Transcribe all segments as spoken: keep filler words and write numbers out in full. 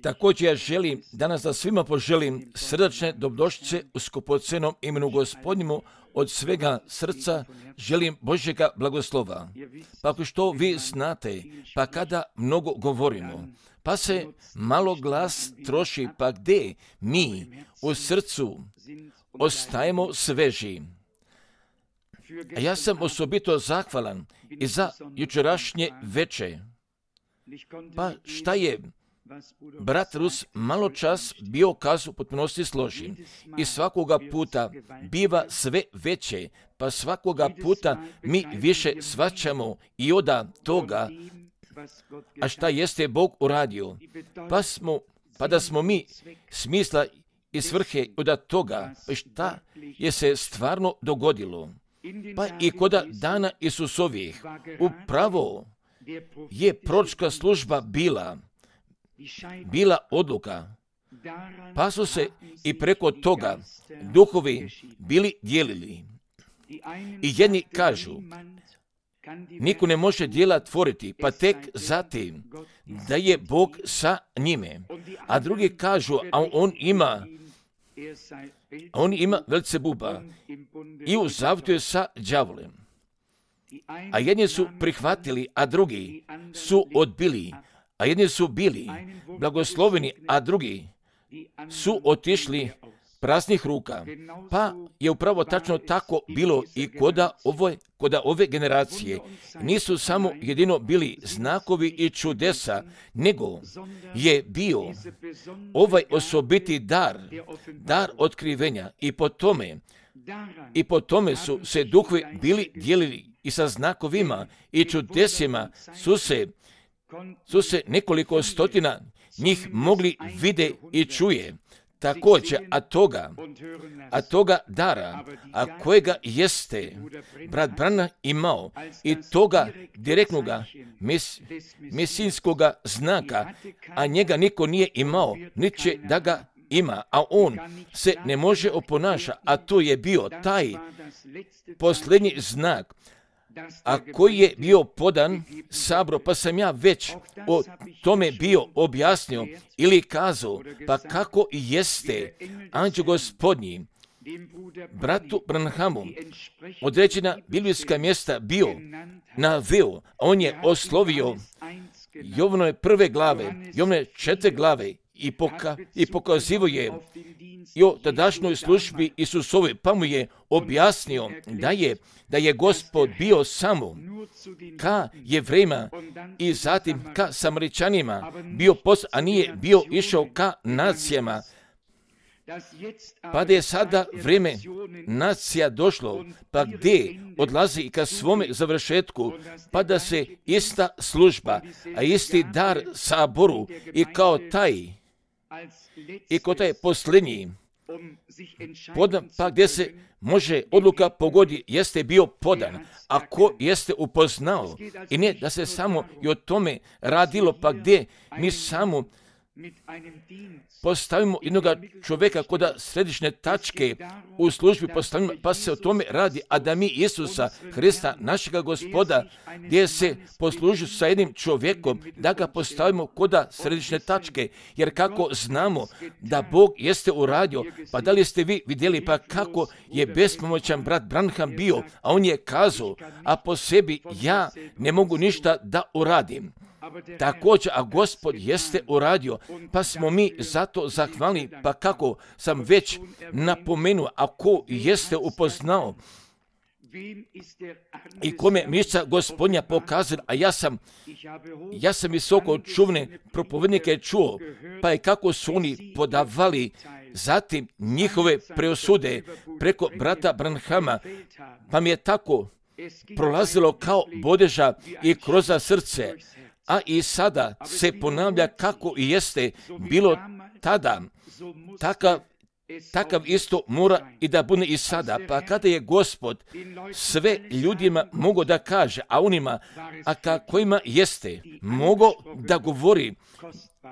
Također ja želim danas da svima poželim srdačne dobrodošlice u skupocenom imenu Gospodnjemu. Od svega srca želim Božjega blagoslova. Pa ako što vi znate, pa kada mnogo govorimo, pa se malo glas troši, pa gdje mi u srcu ostajemo sveži. A ja sam osobito zahvalan i za jučerašnje veče. Pa šta je brat Rus malo čas bio kazu potpunosti složi i svakoga puta biva sve veće, pa svakoga puta mi više shvaćamo i oda toga, a šta jeste Bog uradio, pa, smo, pa da smo mi smisla i svrhe od toga, pa šta je se stvarno dogodilo. Pa i koda dana Isusovih, upravo je proročka služba bila, bila odluka, pa su se i preko toga duhovi bili dijelili. I jedni kažu, niko ne može djela tvoriti, pa tek zatim da je Bog sa njime. A drugi kažu, a on ima, a on ima Velcebuba i u zavjetu je sa đavolem. A jedni su prihvatili, a drugi su odbili. A jedni su bili blagosloveni, a drugi su otišli praznih ruka. Pa je upravo tačno tako bilo i koda ove, koda ove generacije. Nisu samo jedino bili znakovi i čudesa, nego je bio ovaj osobiti dar, dar otkrivenja. I po tome, i po tome su se duhovi bili dijelili i sa znakovima i čudesima su se su se nekoliko stotina njih mogli vide i čuje. Također, a toga, a toga dara, a kojega jeste brat Branham imao i toga direktnoga mes, mesinskoga znaka, a njega niko nije imao, niti će da ga ima, a on se ne može oponaša, a to je bio taj posljednji znak, a koji je bio podan sabro, pa sam ja već o tome bio objasnio ili kazao, pa kako jeste anđeo Gospodnji bratu Branhamu određena biblijska mjesta bio naveo, on je oslovio Jovanove prve glave, Jovanove četiri glave i, poka, i pokazivo je i o tadašnjoj službi Isusovoj, pa mu je objasnio da je, da je Gospod bio samo ka Jevrejima i zatim ka Samaričanima bio pos, a nije bio išao ka nacijama. Pa da je sada vrijeme nacija došlo, pa gdje odlazi i ka svome završetku, pa da se ista služba, a isti dar saboru i kao taj, i kao taj posljednji, podan, pa gdje se može odluka pogodi, jeste bio podan, a ko jeste upoznao, i ne da se samo i o tome radilo, pa gdje mi samo postavimo jednog čovjeka koda središnje tačke u službi postavimo, pa se o tome radi, a da mi Isusa Hrista, našega Gospoda, gdje se posluži sa jednim čovjekom, da ga postavimo koda središnje tačke, jer kako znamo da Bog jeste uradio, pa da li ste vi vidjeli pa kako je bespomoćan brat Branham bio, a on je kazao, a po sebi ja ne mogu ništa da uradim. Također, a Gospod jeste uradio, pa smo mi zato zahvalni, pa kako sam već napomenuo, a ko jeste upoznao i kome mišća Gospodnja pokazala, a ja sam, ja sam visoko čuvne propovednike čuo, pa je kako su oni podavali zatim njihove preosude preko brata Branhama, pa mi je tako prolazilo kao bodeža i kroz srce. A i sada se ponavlja kako i jeste bilo tada, takav, takav isto mora i da bude i sada. Pa kada je Gospod sve ljudima mogo da kaže, a onima, a ka kojima jeste, mogo da govori,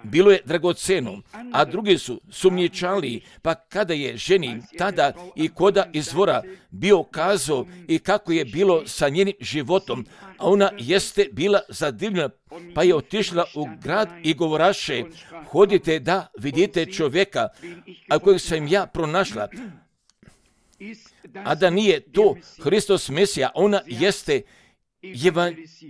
bilo je dragoceno, a drugi su sumnjičali, pa kada je ženi tada i koda izvora bio kazao i kako je bilo sa njenim životom, a ona jeste bila zadivljena, pa je otišla u grad i govoraše, hodite da vidite čovjeka, a kojeg sam ja pronašla, a da nije to Hristos Mesija, ona jeste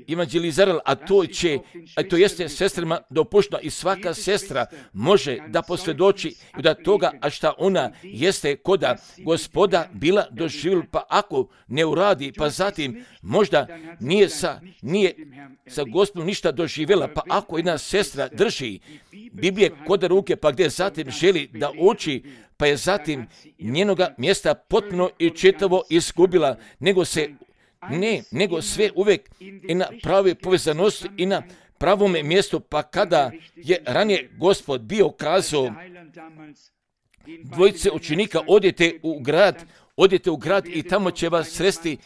evanđelizirala, a to će, a to jeste sestrama dopušteno i svaka sestra može da posvjedoči da toga, a šta ona jeste koda Gospoda bila doživjela, pa ako ne uradi, pa zatim možda nije sa, nije sa Gospodom ništa doživjela, pa ako jedna sestra drži Biblije koda ruke, pa gdje zatim želi da uči, pa je zatim njenoga mjesta potpuno i čitavo izgubila, nego se Ne, nego sve uvijek i na pravi povezanosti i na pravome mjestu, pa kada je ranije Gospod bio kazao dvojice učenika, odite u grad, odite u grad i tamo će vas sresti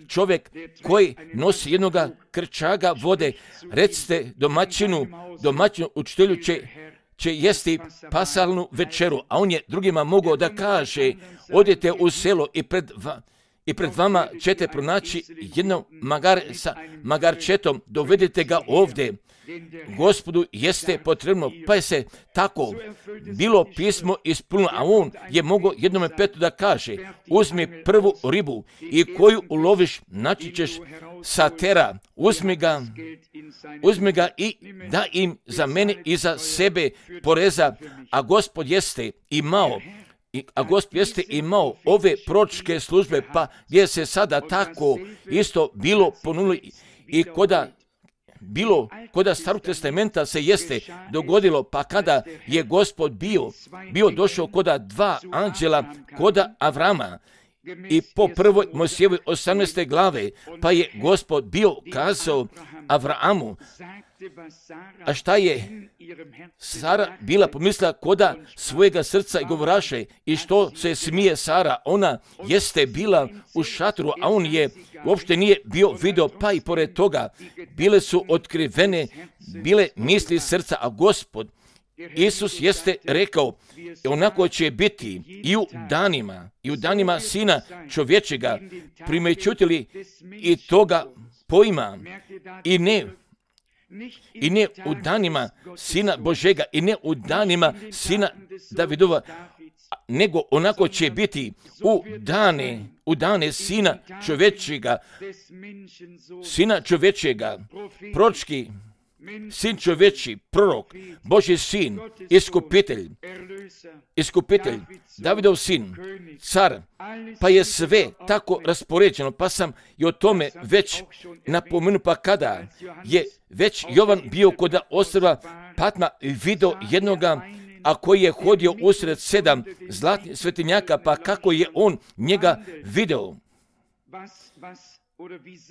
čovjek koji nosi jednoga krčaga vode, recite domaćinu, domaćinu učitelju će, će jesti pasalnu večeru, a on je drugima mogao da kaže, odite u selo i pred va, I pred vama ćete pronaći jedno magar sa magarčetom, dovedite ga ovdje. Gospodu jeste potrebno, pa je se tako bilo pismo ispunilo, a on je mogao jednome Petru da kaže, uzmi prvu ribu i koju uloviš, naći ćeš satera, uzmi ga, uzmi ga i da im za mene i za sebe poreza, a Gospod jeste imao a Gospod jeste imao ove proročke službe, pa gdje se sada tako isto bilo ponudilo i koda bilo, koda Starog testamenta se jeste dogodilo, pa kada je Gospod bio, bio došao koda dva anđela, koda Avrama, i po prvoj Mojsijevoj osamnaeste glave, pa je Gospod bio kazao Avramu, a šta je Sara bila pomislila koda svojega srca i govoraše, i što se smije Sara, ona jeste bila u šatru, a on je uopšte nije bio video, pa i pored toga bile su otkrivene, bile misli srca, a Gospod Isus jeste rekao, onako će biti i u danima, i u danima Sina čovječega, primećutili i toga pojma, i ne, i ne u danima Sina Božega, i ne u danima Sina Davidova, nego onako će biti u dane, u dane Sina čovječega, Sina čovječega, proročki, Sin čovječi, prorok, Božji sin, iskupitelj, iskupitelj, Davidov sin, car, pa je sve tako raspoređeno, pa sam i o tome već napomenuo, pa kada je već Jovan bio kod ostrva Patma video jednoga, a koji je hodio usred sedam zlatnih svetinjaka, pa kako je on njega video,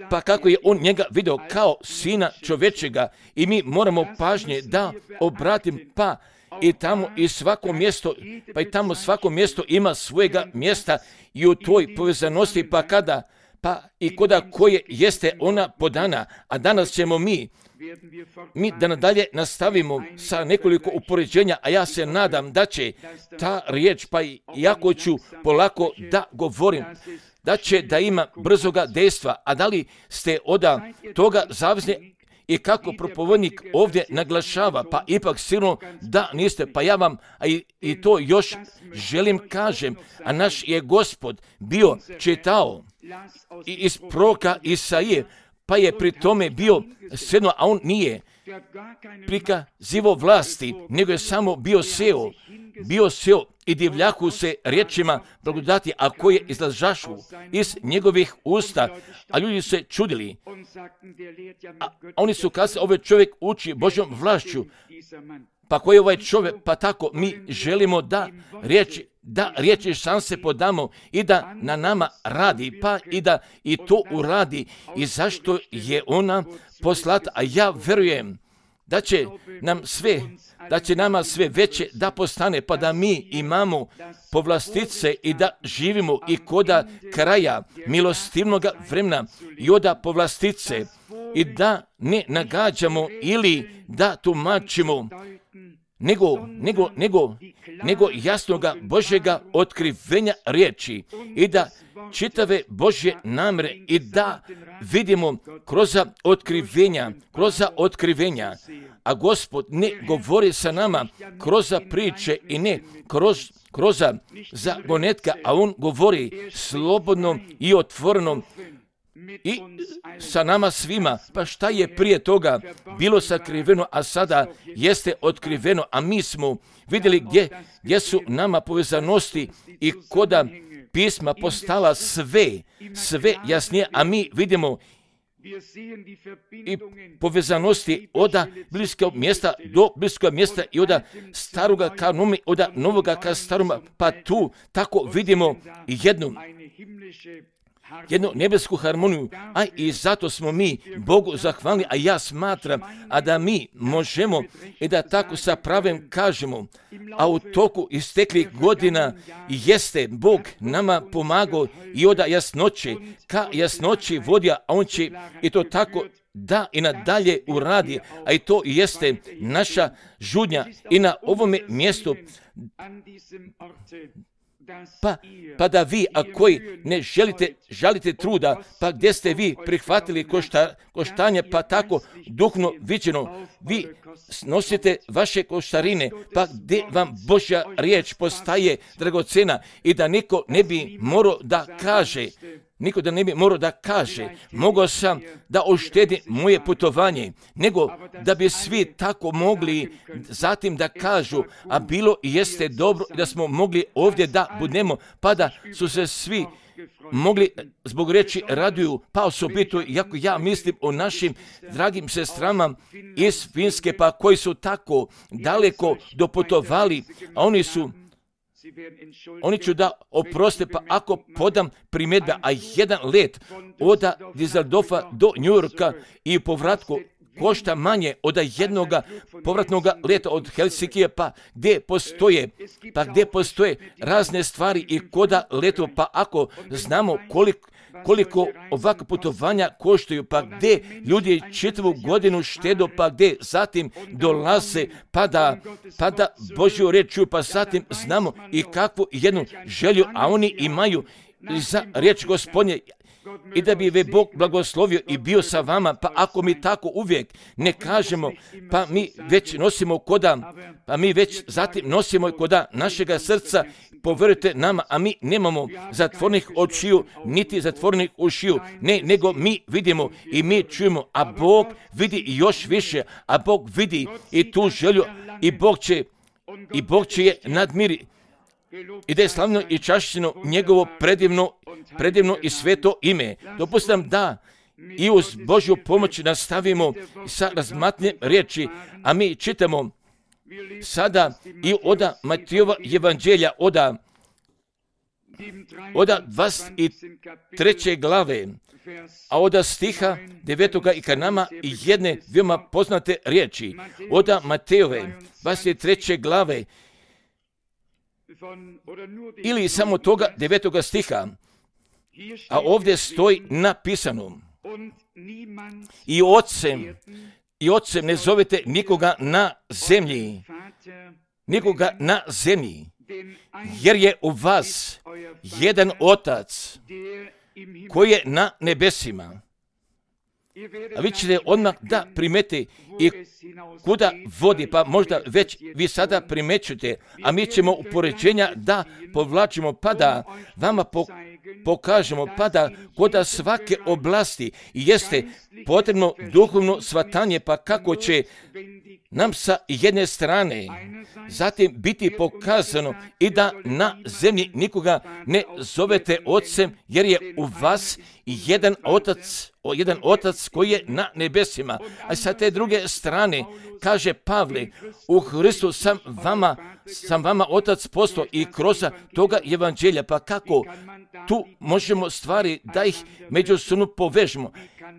pa kako je on njega video kao Sina čovječega, i mi moramo pažnje da obratim, pa i tamo i svako mjesto, pa i tamo svako mjesto ima svojega mjesta i u toj povezanosti, pa kada, pa i koda koje jeste ona podana, a danas ćemo mi, mi da nadalje nastavimo sa nekoliko upoređenja, a ja se nadam da će ta riječ, pa i jako ću polako da govorim, da će da ima brzoga dejstva, a da li ste oda toga zavisni i kako propovednik ovdje naglašava, pa ipak sigurno da niste, pa ja vam a i, i to još želim kažem, a naš je Gospod bio čitao i iz proroka Isaije, pa je pri tome bio sedno, a on nije prikazivo vlasti, nego je samo bio seo, bio seo i divljaku se riječima blagodati, a koje izlažašu iz njegovih usta, a ljudi se čudili. A oni su kazali, ovaj čovjek uči Božjom vlašću, pa koji je ovaj čovjek, pa tako mi želimo da riječi, da riječi šanse podamo i da na nama radi, pa i da i to uradi, i zašto je ona poslata, a ja verujem da će nam sve, da će nama sve veće da postane, pa da mi imamo povlastice i da živimo i koda kraja milostivnog vremena i oda povlastice, i da ne nagađamo ili da tumačimo nego, nego, nego, nego jasnoga Božjega otkrivenja riječi i da čitave Božje namjere i da vidimo kroz otkrivenja, kroz otkrivenja, a Gospod ne govori sa nama kroz priče i ne kroz, kroz zagonetka, a On govori slobodno i otvoreno i sa nama svima. Pa šta je prije toga bilo sakriveno, a sada jeste otkriveno, a mi smo vidjeli gdje, gdje su nama povezanosti i koda pisma postala sve, sve jasnije, a mi vidimo i povezanosti od bliskog mjesta do bliskog mjesta i od staroga ka novi, od novoga ka staroma, pa tu tako vidimo jednu jednu nebesku harmoniju, a i zato smo mi Bogu zahvalni, a ja smatram, a da mi možemo i da tako sa pravem kažemo, a u toku isteklih godina jeste Bog nama pomagao i od jasnoće, ka jasnoći vodio, a On će i to tako da i nadalje uradi, a i to jeste naša žudnja i na ovome mjestu. Pa, pa da vi, a koji ne želite, žalite truda, pa gdje ste vi prihvatili košta, koštanje, pa tako duhno viđeno, vi nosite vaše koštarine, pa gdje vam Božja riječ postaje dragocena i da niko ne bi morao da kaže, niko da ne bi morao da kaže, mogao sam da oštedi moje putovanje, nego da bi svi tako mogli zatim da kažu, a bilo i jeste dobro da smo mogli ovdje da budemo, pa da su se svi mogli zbog reći raduju, pa osobito, jako ja mislim o našim dragim sestrama iz Finske, pa koji su tako daleko doputovali, a oni su Oni ću da oproste, pa ako podam primjedbe, a jedan let od Düsseldorfa do New Yorka i povratku košta manje od jednoga povratnog leta od Helsinkija, pa gdje postoje, pa gdje postoje razne stvari i koda leto, pa ako znamo koliko koliko ovakva putovanja koštaju, pa gdje ljudi čitavu godinu štedu, pa gdje zatim dolaze, pa da, pa da Božju riječ čuju, pa zatim znamo i kakvu jednu želju, a oni imaju za riječ Gospodnje, i da bi ve Bog blagoslovio i bio sa vama, pa ako mi tako uvijek ne kažemo, pa mi već nosimo koda, pa mi već zatim nosimo koda našega srca, povjerujte nama, a mi nemamo zatvornih očiju, niti zatvornih ušiju, ne, nego mi vidimo i mi čujemo, a Bog vidi još više, a Bog vidi i tu želju, i Bog će, i Bog će je nadmiri. I da je slavno i čašćeno njegovo predivno, predivno i sveto ime. Dopustam da i uz Božju pomoć nastavimo sa razmatnjem riječi, a mi čitamo sada i od Matijova evanđelja, od, od dvadeset treće glave, a od stiha devetoga i ka nama jedne veoma poznate riječi. Od Matejove dvadeset treće glave, ili samo toga devetoga stiha, a ovdje stoji napisano: i ocem, i ocem ne zovete nikoga na zemlji, nikoga na zemlji, jer je u vas jedan otac koji je na nebesima. A vi ćete odmah da primeti i kuda vodi, pa možda već vi sada primećujete, a mi ćemo upoređenja da povlačimo, pa da vama po, pokažemo, pa da kod svake oblasti jeste potrebno duhovno shvatanje, pa kako će nam sa jedne strane zatim biti pokazano i da na zemlji nikoga ne zovete ocem, jer je u vas jedan otac, jedan otac koji je na nebesima. A sa te druge strane kaže Pavle: u Hristu sam vama, sam vama otac postao, i kroz toga evanđelja. Pa kako tu možemo stvari da ih međusobno povežemo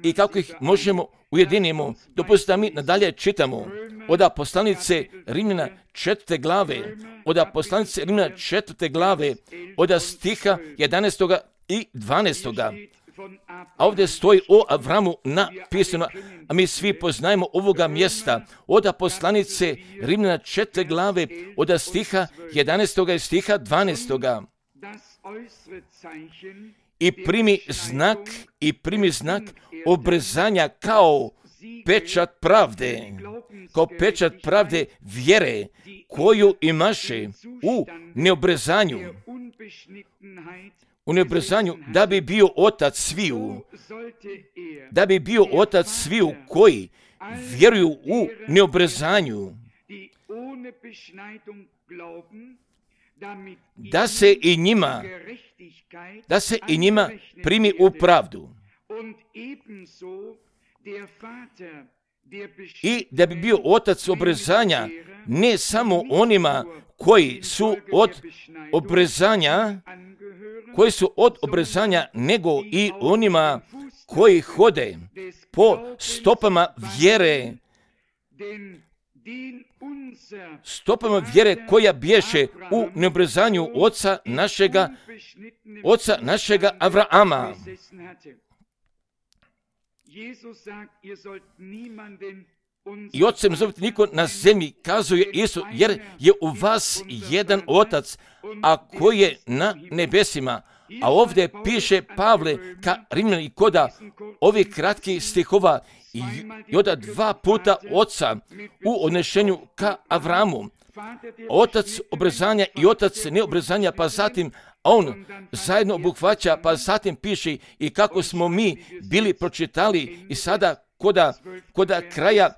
i kako ih možemo ujedinimo? Dopustite da mi nadalje čitamo od poslanice Rimljana četvrte glave, od poslanice Rimljana četvrte glave, od stiha jedanaestoga i dvanaestoga. A ovdje stoji o Avramu napisano, a mi svi poznajemo ovoga mjesta od poslanice Rimljana četiri glave, od stiha jedanaestog i stiha dvanaestog. I primi znak, i primi znak obrezanja kao pečat pravde, kao pečat pravde vjere koju imaše u neobrezanju, u neobrezanju da bi bio otac sviju, da bi bio otac sviju koji vjeruju u neobrezanju, da se i njima, da se i njima primi u pravdu. I da bi bio otac obrezanja ne samo onima koji su od obrezanja, koji su od obrezanja, nego i onima koji hode po stopama vjere, stopama vjere koja bješe u neobrezanju oca našega, oca našega Avrama. I ocem zovite niko na zemlji, kazuje Isus, jer je u vas jedan otac, a koji je na nebesima. A ovdje piše Pavle ka Rimljani koda ovih kratkih stihova i, i oda dva puta oca u odnešenju ka Avramu. Otac obrezanja i otac neobrezanja, pa zatim on zajedno obuhvaća, pa zatim piše i kako smo mi bili pročitali i sada koda, koda kraja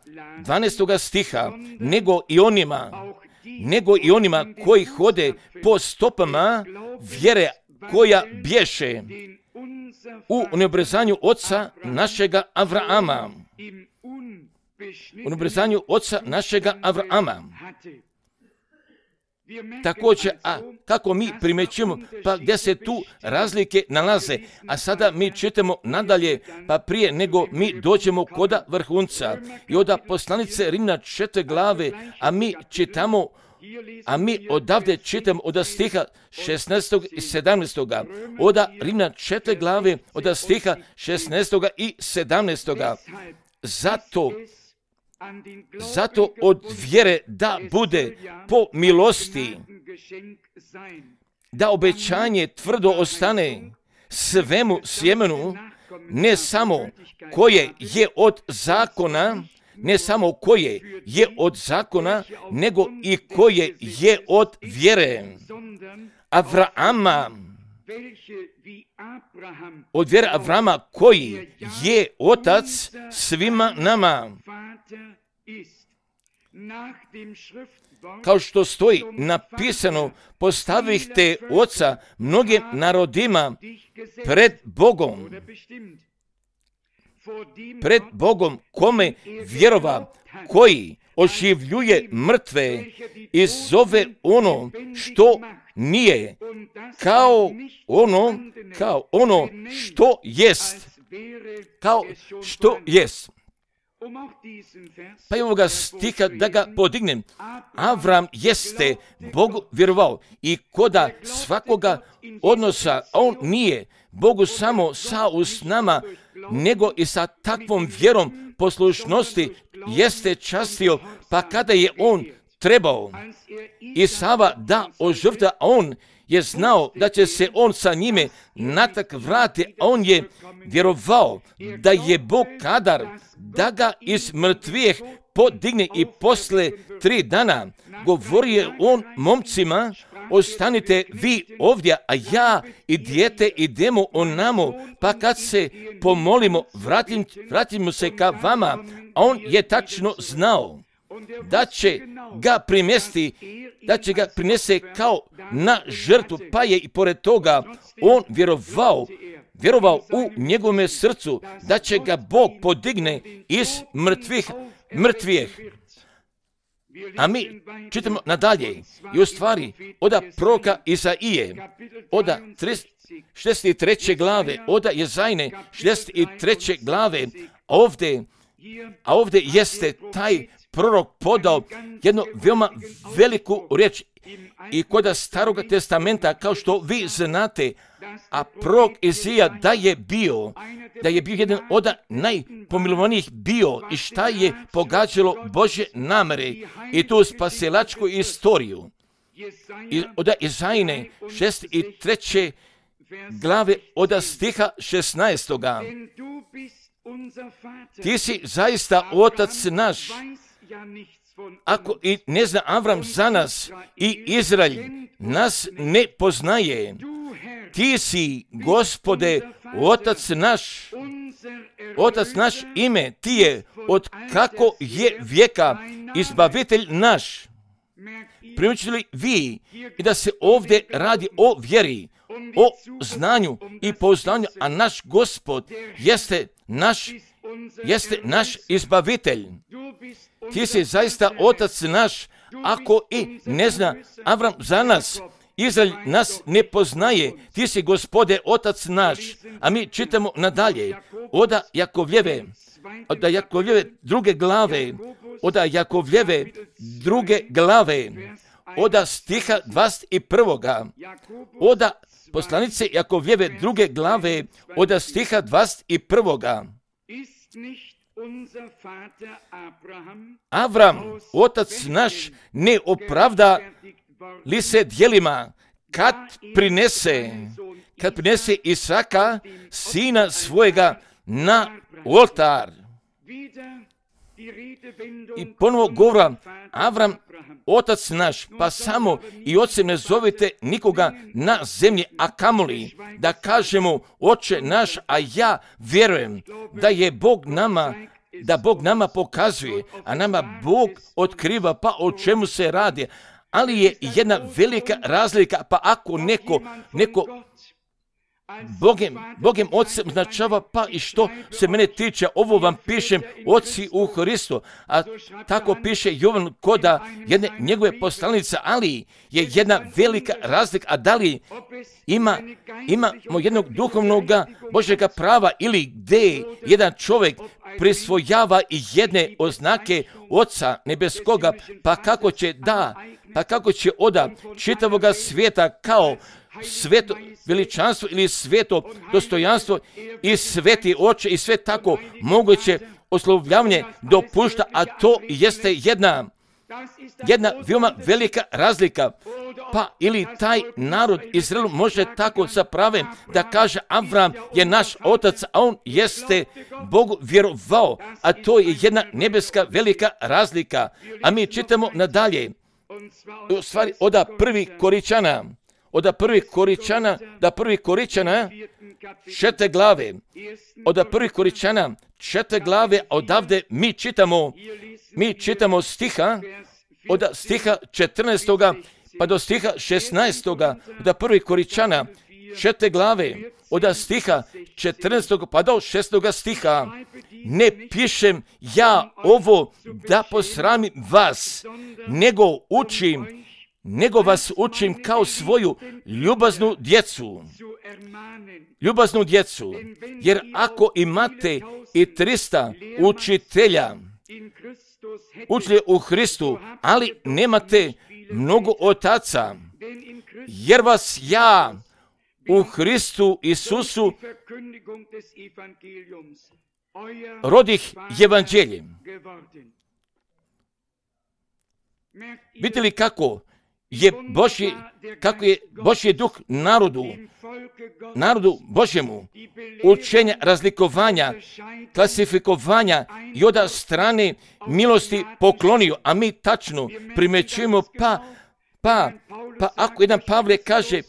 dvanaestog stiha, nego i onima, nego i onima koji hode po stopama vjere koja bješe u neobrezanju oca našega Avrama. U neobrezanju oca našega Avrama. Također, a kako mi primećujemo, pa gdje se tu razlike nalaze, a sada mi čitamo nadalje, pa prije nego mi dođemo koda vrhunca i od poslanice Rimljana četiri glave, a mi čitamo, a mi odavde čitamo od stiha šesnaestog i sedamnaestog. Od Rimljana četiri glave, od stiha šesnaestog i sedamnaestog. Zato Zato od vjere da bude po milosti, da obećanje tvrdo ostane svemu sjemenu, ne samo koje je od zakona, ne samo koje je od zakona, nego i koje je od vjere Avrama, od vjere Avrama koji je otac svima nama. Kao što stoji napisano, postavihte oca mnogim narodima pred Bogom, pred Bogom kome vjerova, koji oživljuje mrtve i zove ono što nije, kao ono, kao ono što jest, kao što jest. Pa i ovoga stiha da ga podignem. Avram jeste Bogu vjerovao i koda svakoga odnosa, on nije Bogu samo sa usnama, nego i sa takvom vjerom poslušnosti jeste častio, pa kada je on trebao Isava da ožrtva, on je znao da će se on sa njime natak vrati, a on je vjerovao da je Bog kadar da ga iz mrtvijeh podigne i posle tri dana govorio on momcima, ostanite vi ovdje, a ja i dijete idemo onamo, pa kad se pomolimo, vratim, vratimo se ka vama. A on je tačno znao da će ga primesti, da će ga prinese kao na žrtvu, pa je i pored toga on vjerovao, vjerovao u njegovome srcu da će ga Bog podigne iz mrtvih, mrtvijeh. A mi čitamo nadalje i u stvari od proroka Izaije, od šezdeset treće glave, od Jezajne šezdeset treće glave, ovdje, a ovdje jeste taj prorok podao jednu veoma veliku riječ i kod Starog testamenta, kao što vi znate, a prorok Izija da je bio, da je bio jedan od najpomilovanijih bio i šta je pogađalo Božje namere i tu spasilačku istoriju. I od Izajine šest i treće glave od stiha šesnaestoga. Ti si zaista otac naš. Ako i ne zna Avram za nas i Izrael nas ne poznaje, ti si, Gospode, otac naš, otac naš ime, ti je od kako je vijeka izbavitelj naš. Primjećujete li vi i da se ovdje radi o vjeri, o znanju i poznanju, a naš Gospod jeste naš, jeste naš izbavitelj. Ti si zaista otac naš, ako i ne zna Avram za nas, Izrael nas ne poznaje, ti si, Gospode, otac naš. A mi čitamo nadalje, oda Jakovljeve, oda Jakovljeve druge glave, oda Jakovljeve druge glave, oda stiha dvadeset prvoga, oda poslanice Jakovljeve druge glave, oda stiha dvadeset prvoga. Avram, otac naš, ne opravda li se djelima kad prinese, kad prinese Isaka, sina svojega, na oltar. I ponovo govora, Avram, otac naš, pa samo i ocem ne zovite nikoga na zemlji, a kamoli da kažemo oče naš, a ja vjerujem da je Bog nama, da Bog nama pokazuje, a nama Bog otkriva, pa o čemu se radi. Ali je jedna velika razlika, pa ako neko, neko Bogem, Bogem Otcem značava, pa i što se mene tiče, ovo vam pišem, Oci u Hristu, a tako piše Jovan koda jedne njegove poslanice, ali je jedna velika razlika, a da li ima, imamo jednog duhovnog Božjega prava ili gdje jedan čovjek prisvojava i jedne oznake Oca nebeskoga, pa kako će da, pa kako će oda čitavoga svijeta kao sveto veličanstvo ili sveto dostojanstvo i sveti oče i sve tako moguće oslovljavanje dopušta, a to jeste jedna, jedna veoma velika razlika. Pa ili taj narod Izrael može tako sa pravem da kaže Avram je naš otac, a on jeste Bogu vjerovao, a to je jedna nebeska velika razlika. A mi čitamo nadalje, u stvari oda prvi Koričana, oda prvi Koričana, da prvi Koričana četiri glave, oda prvi Koričana četiri glave, odavde mi čitamo, mi čitamo stiha, od stiha četrnaestoga pa do stiha šesnaestoga, da prvi Koričana četiri glave, od stiha četrnaestog pa do šestoga stiha. Ne pišem ja ovo da posramim vas, nego učim, nego vas učim kao svoju ljubaznu djecu. Ljubaznu djecu, jer ako imate i trista učitelja, učitelja u Hristu, ali nemate mnogo otaca, jer vas ja u Hristu Isusu rodih evanđeljem. Vidite li kako je Božji, kako je Božji duh narodu, narodu Božjemu, učenja, razlikovanja, klasifikovanja i od strane milosti poklonio, a mi tačno primjećujemo, pa, pa, pa ako jedan Pavle kaže,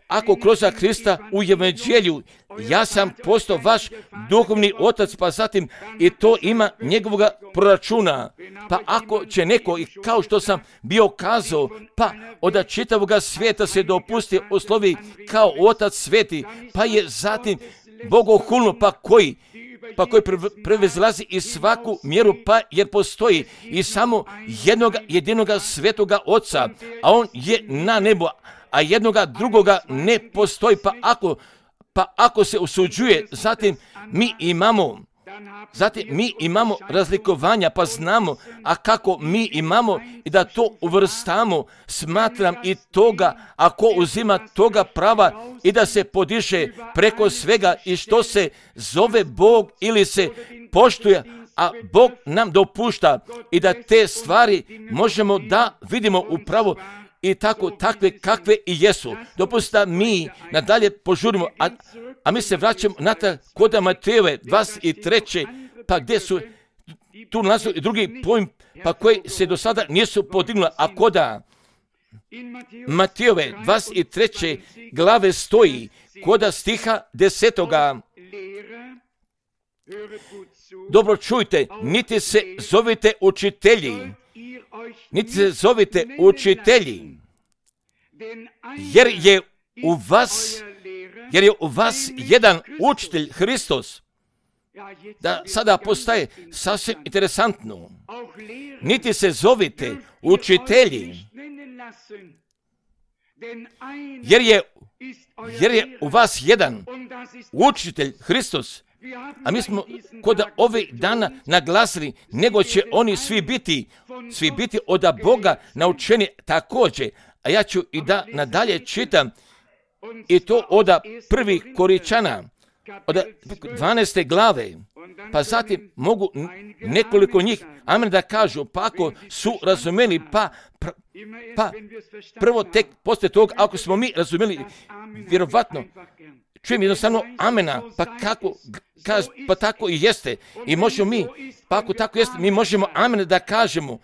ako kroz Krista u evanđelju, ja sam postao vaš duhovni otac, pa zatim i to ima njegovoga proračuna. Pa ako će neko, i kao što sam bio kazao, pa od čitavoga svijeta se dopusti oslovi kao otac sveti, pa je zatim bogohulno, pa koji, pa koji prevezlazi i svaku mjeru, pa jer postoji i samo jednog jedinoga svetoga oca, a on je na nebu, a jednoga drugoga ne postoji, pa ako, pa ako se usuđuje, zatim mi imamo Zatim mi imamo razlikovanja, pa znamo, a kako mi imamo i da to uvrstamo, smatram i toga, ako uzima toga prava i da se podiže preko svega i što se zove Bog ili se poštuje, a Bog nam dopušta i da te stvari možemo da vidimo upravo i tako takve kakve i jesu. Dopusta mi nadalje požurimo, a, a mi se vraćamo natrag kod Matejove dvadeset treće pa gdje su tu nalazu i drugi pojm, pa koji se do sada nisu podignuli, a koda Matejove dvadeset treće glave stoji koda stiha desetoga. Dobro čujte, niti se zovite učitelji, niti se zovite učitelji, jer je u vas, jer je u vas jedan učitelj, Hristos. Da sada postaje sasvim interesantno. Niti se zovite učitelji, jer je, jer je u vas jedan učitelj, Hristos. A mi smo kod ovih dana naglasili, nego će oni svi biti, svi biti od Boga naučeni također. A ja ću i da nadalje čitam i to od prvih Koričana, od dvanaeste glave, pa zatim mogu nekoliko njih, amen, da kažu, pa ako su razumeli, pa, pr, pa prvo tek poslije toga, ako smo mi razumeli, vjerovatno, čujem jednostavno amena, pa kako, kaz, pa tako i jeste. I možemo mi, pa ako tako jeste, mi možemo amen da kažemo,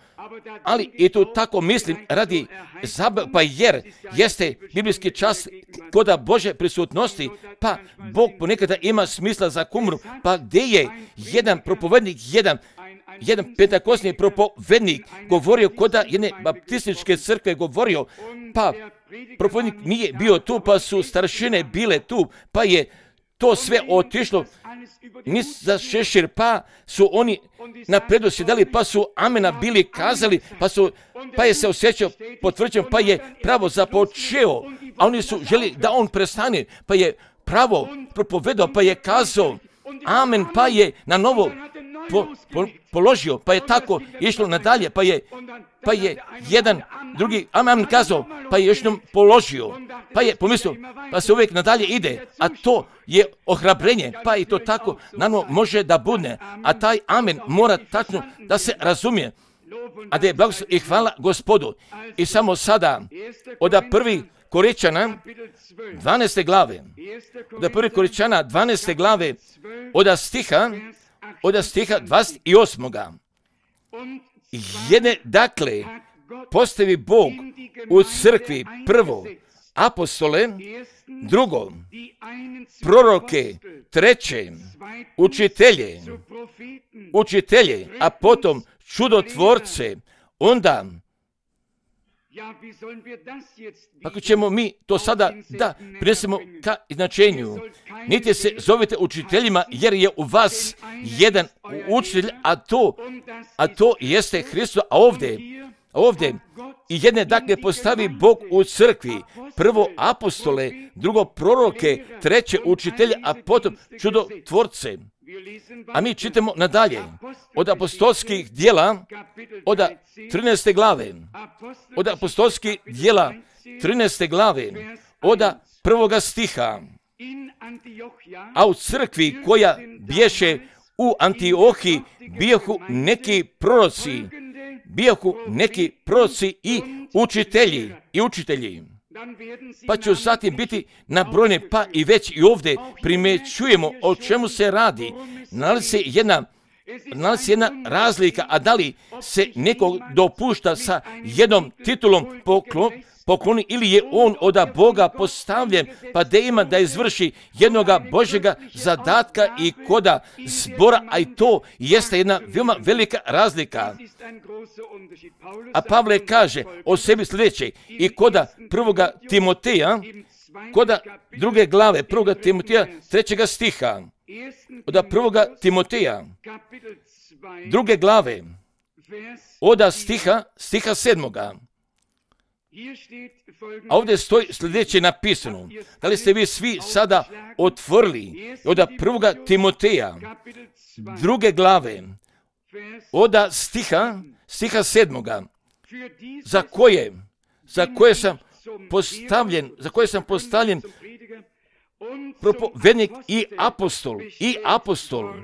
ali i to tako mislim radi zabave, pa jer jeste biblijski čas koda Bože prisutnosti, pa Bog ponekada ima smisla za kumru, pa gdje je jedan propovednik, jedan jedan pentakosni propovednik govorio koda jedne baptističke crkve govorio, pa propovednik nije bio tu, pa su staršine bile tu, pa je to sve otišlo nis za šešir, pa su oni na predosjedali, pa su amena bili kazali, pa, su, pa je se osjećao potvrđen, pa je pravo započeo, a oni su želi da on prestane, pa je pravo propovedao, pa je kazao amen, pa je na novo po, po, položio, pa je tako išlo nadalje, pa je, pa je jedan drugi amen kazao, pa je još nam položio, pa je pomislio, pa se uvijek nadalje ide, a to je ohrabrenje, pa i to tako naravno može da bude, a taj amen mora tačno da se razumije, a da je blagoslov i hvala Gospodu. I samo sada od prvih Koričana dvanaeste glave, od prvih Koričana dvanaeste glave, od stiha, od stiha dvadeset osmoga Jedne, dakle, postavi Bog u crkvi prvo apostole, drugo proroke, treće učitelje, učitelje, a potom čudotvorce, onda kako ćemo mi to sada da prinesemo ka značenju. Niti se zovete učiteljima, jer je u vas jedan učitelj, a to, a to jeste Hristos, a ovdje, ovdje i jedne dakle postavi Bog u crkvi, prvo apostole, drugo proroke, treće učitelje, a potom čudotvorce. A mi čitamo nadalje od apostolskih djela, od trinaeste glave, od apostolskih djela trinaeste glave, od prvoga stiha. A u crkvi koja bješe u Antiohiji bijahu neki proroci, bijahu neki proroci i učitelji, i učitelji. Pa ću zatim biti nabrojene, pa i već i ovdje primjećujemo o čemu se radi. Nalazi se jedna, nalazi se jedna razlika, a da li se neko dopušta sa jednom titulom poklon, pokloni ili je on od Boga postavljen, pa da ima da izvrši jednoga Božjega zadatka i koda zbora, a i to jeste jedna veoma velika razlika. A Pavle kaže o sebi sljedeće i koda prvoga Timoteja, koda druge glave, prvoga Timoteja, trećega stiha, od prvoga Timoteja, druge glave, od stiha, stiha sedmoga. A ovdje stoji sljedeće napisano. Da li ste vi svi sada otvorili od prvoga Timoteja, druge glave, od stiha, stiha sedmoga, za koje, za koje sam postavljen, za koje sam postavljen propovednik i apostol, i apostol.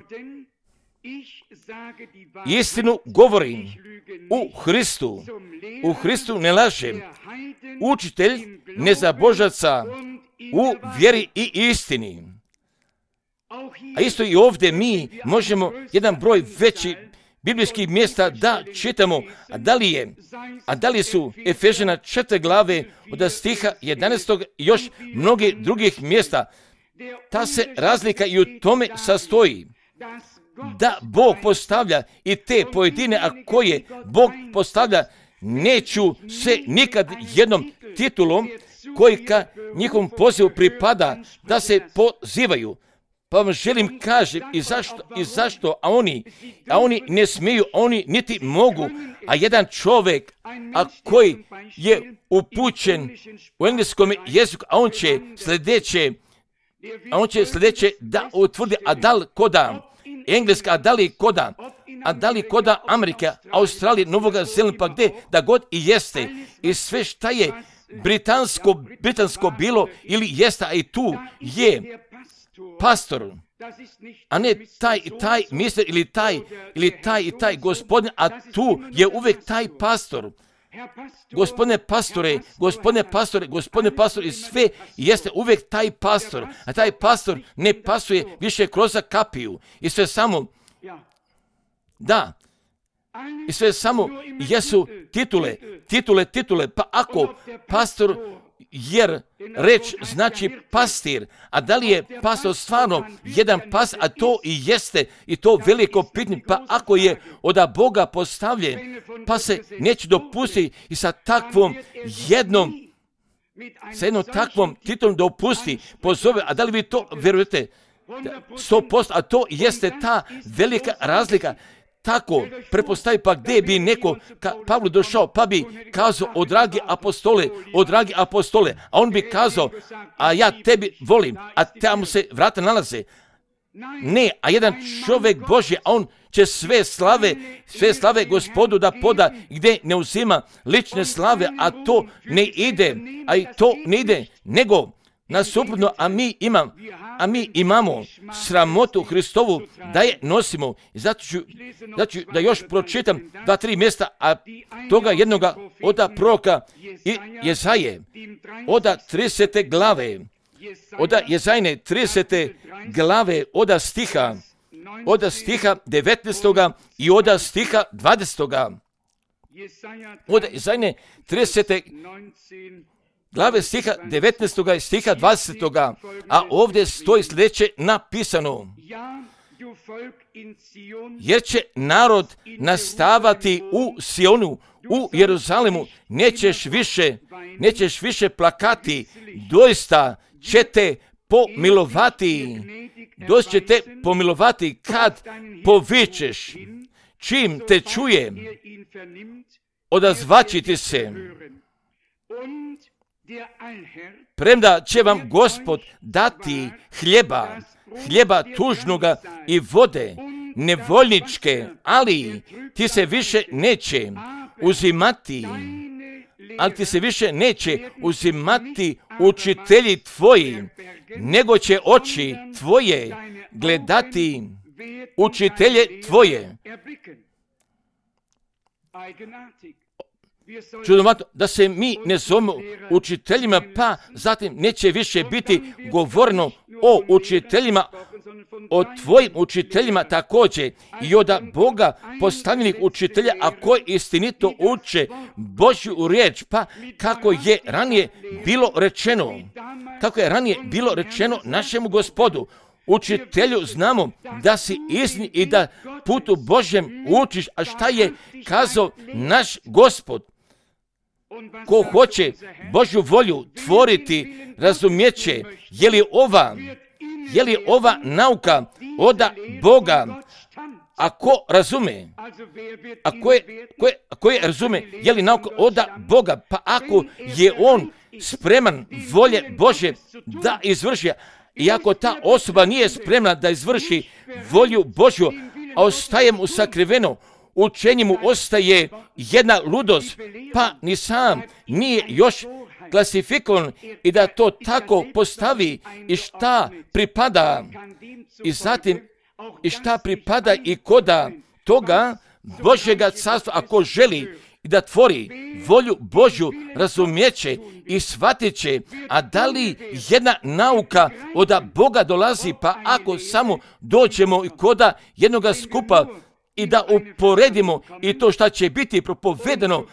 Istinu govorim u Hristu, u Hristu ne lažem, učitelj nezabožaca u vjeri i istini. A isto i ovdje mi možemo jedan broj veći biblijskih mjesta da čitamo, a da li je, a da li su Efežana četiri glave od stiha jedanaestog i još mnogi drugih mjesta. Ta se razlika i u tome sastoji da Bog postavlja i te pojedine, a koje Bog postavlja, neću se nikad jednom titulom koji ka njihovom pozivu pripada da se pozivaju. Pa vam želim kažem i zašto, i zašto, a oni, a oni ne smiju, oni niti mogu, a jedan čovjek, a koji je upućen u engleskom jeziku, a on će sljedeće, a on će sljedeće da utvrdi, a da li koda Engleska, a da li koda, a da li koda Amerika, Australije, Novoga Zelanda, pa gdje da god i jeste, i sve šta je britansko, britansko bilo ili jeste, a i tu je pastor, a ne taj i taj mister ili taj ili taj i taj gospodin, a tu je uvijek taj pastor. Gospodine pastore, gospodine pastore, gospodine pastore, i sve jeste uvijek taj pastor, a taj pastor ne pasuje više kroz kapiju i sve samo, da, i sve samo jesu titule, titule, titule, pa ako pastor, jer reč znači pastir, a da li je pastor stvarno jedan pas, a to i jeste, i to veliko pitanje, pa ako je od Boga postavljen, pa se neće dopustiti i sa takvom jednom, sa jednom takvom titulom dopusti, pozove, a da li vi to vjerujete? sto posto, a to jeste ta velika razlika. Tako, prepostavi, pa gdje bi neko ka Pavlu došao, pa bi kazao, o dragi apostole, o dragi apostole, a on bi kazao, a ja tebi volim, a tamo se vrata nalaze. Ne, a jedan čovjek Božji, a on će sve slave, sve slave Gospodu da poda, gdje ne uzima lične slave, a to ne ide, a i to ne ide, nego nasuprotno, a mi imam, a mi imamo sramotu Hristovu da je nosimo. I zato ću, zato ću da još pročitam dva, tri mjesta, a toga jednoga oda proroka i Jezaje, oda tridesete glave, oda Jezajne tridesete glave, oda stiha, oda stiha devetnaestoga i oda stiha dvadesetoga. Oda Jezajne tridesete glave stiha devetnaestoga i stiha dvadesetoga, a ovdje stoji sljedeće napisano. Jer će narod nastavati u Sionu, u Jeruzalemu, nećeš više, nećeš više plakati, doista će te pomilovati, doista će te pomilovati kad povičeš, čim te čuje, odazvaći ti se. Premda će vam Gospod dati hljeba, hljeba tužnoga i vode nevoljničke, ali ti se više neće uzimati, ali ti se više neće uzimati učitelji tvoji, nego će oči tvoje gledati učitelje tvoje. Čudnovato da se mi ne zovemo učiteljima, pa zatim neće više biti govoreno o učiteljima, o tvojim učiteljima također i od Boga postavljenih učitelja, a koji istinito uče Božju riječ, pa kako je ranije bilo rečeno, kako je ranije bilo rečeno našemu Gospodu, učitelju, znamo da si istini i da putu Božjem učiš, a šta je kazao naš Gospod? Ko hoće Božju volju tvoriti, razumjeće, je li ova, je li ova nauka od Boga, Ako razume, ako je, ko je, ko je razume, je li nauka od Boga, pa ako je on spreman volje Božje da izvrši, i ako ta osoba nije spremna da izvrši volju Božju, a ostaje mu sakriveno, učenje mu ostaje jedna ludost, pa ni sam nije još klasifikovan i da to tako postavi i šta pripada i zatim i šta pripada i koda toga Božjega carstva, ako želi i da tvori volju Božju, razumijeće i shvatit će, a da li jedna nauka od Boga dolazi, pa ako samo dođemo i koda jednoga skupa i da uporedimo i to šta će biti propovedeno,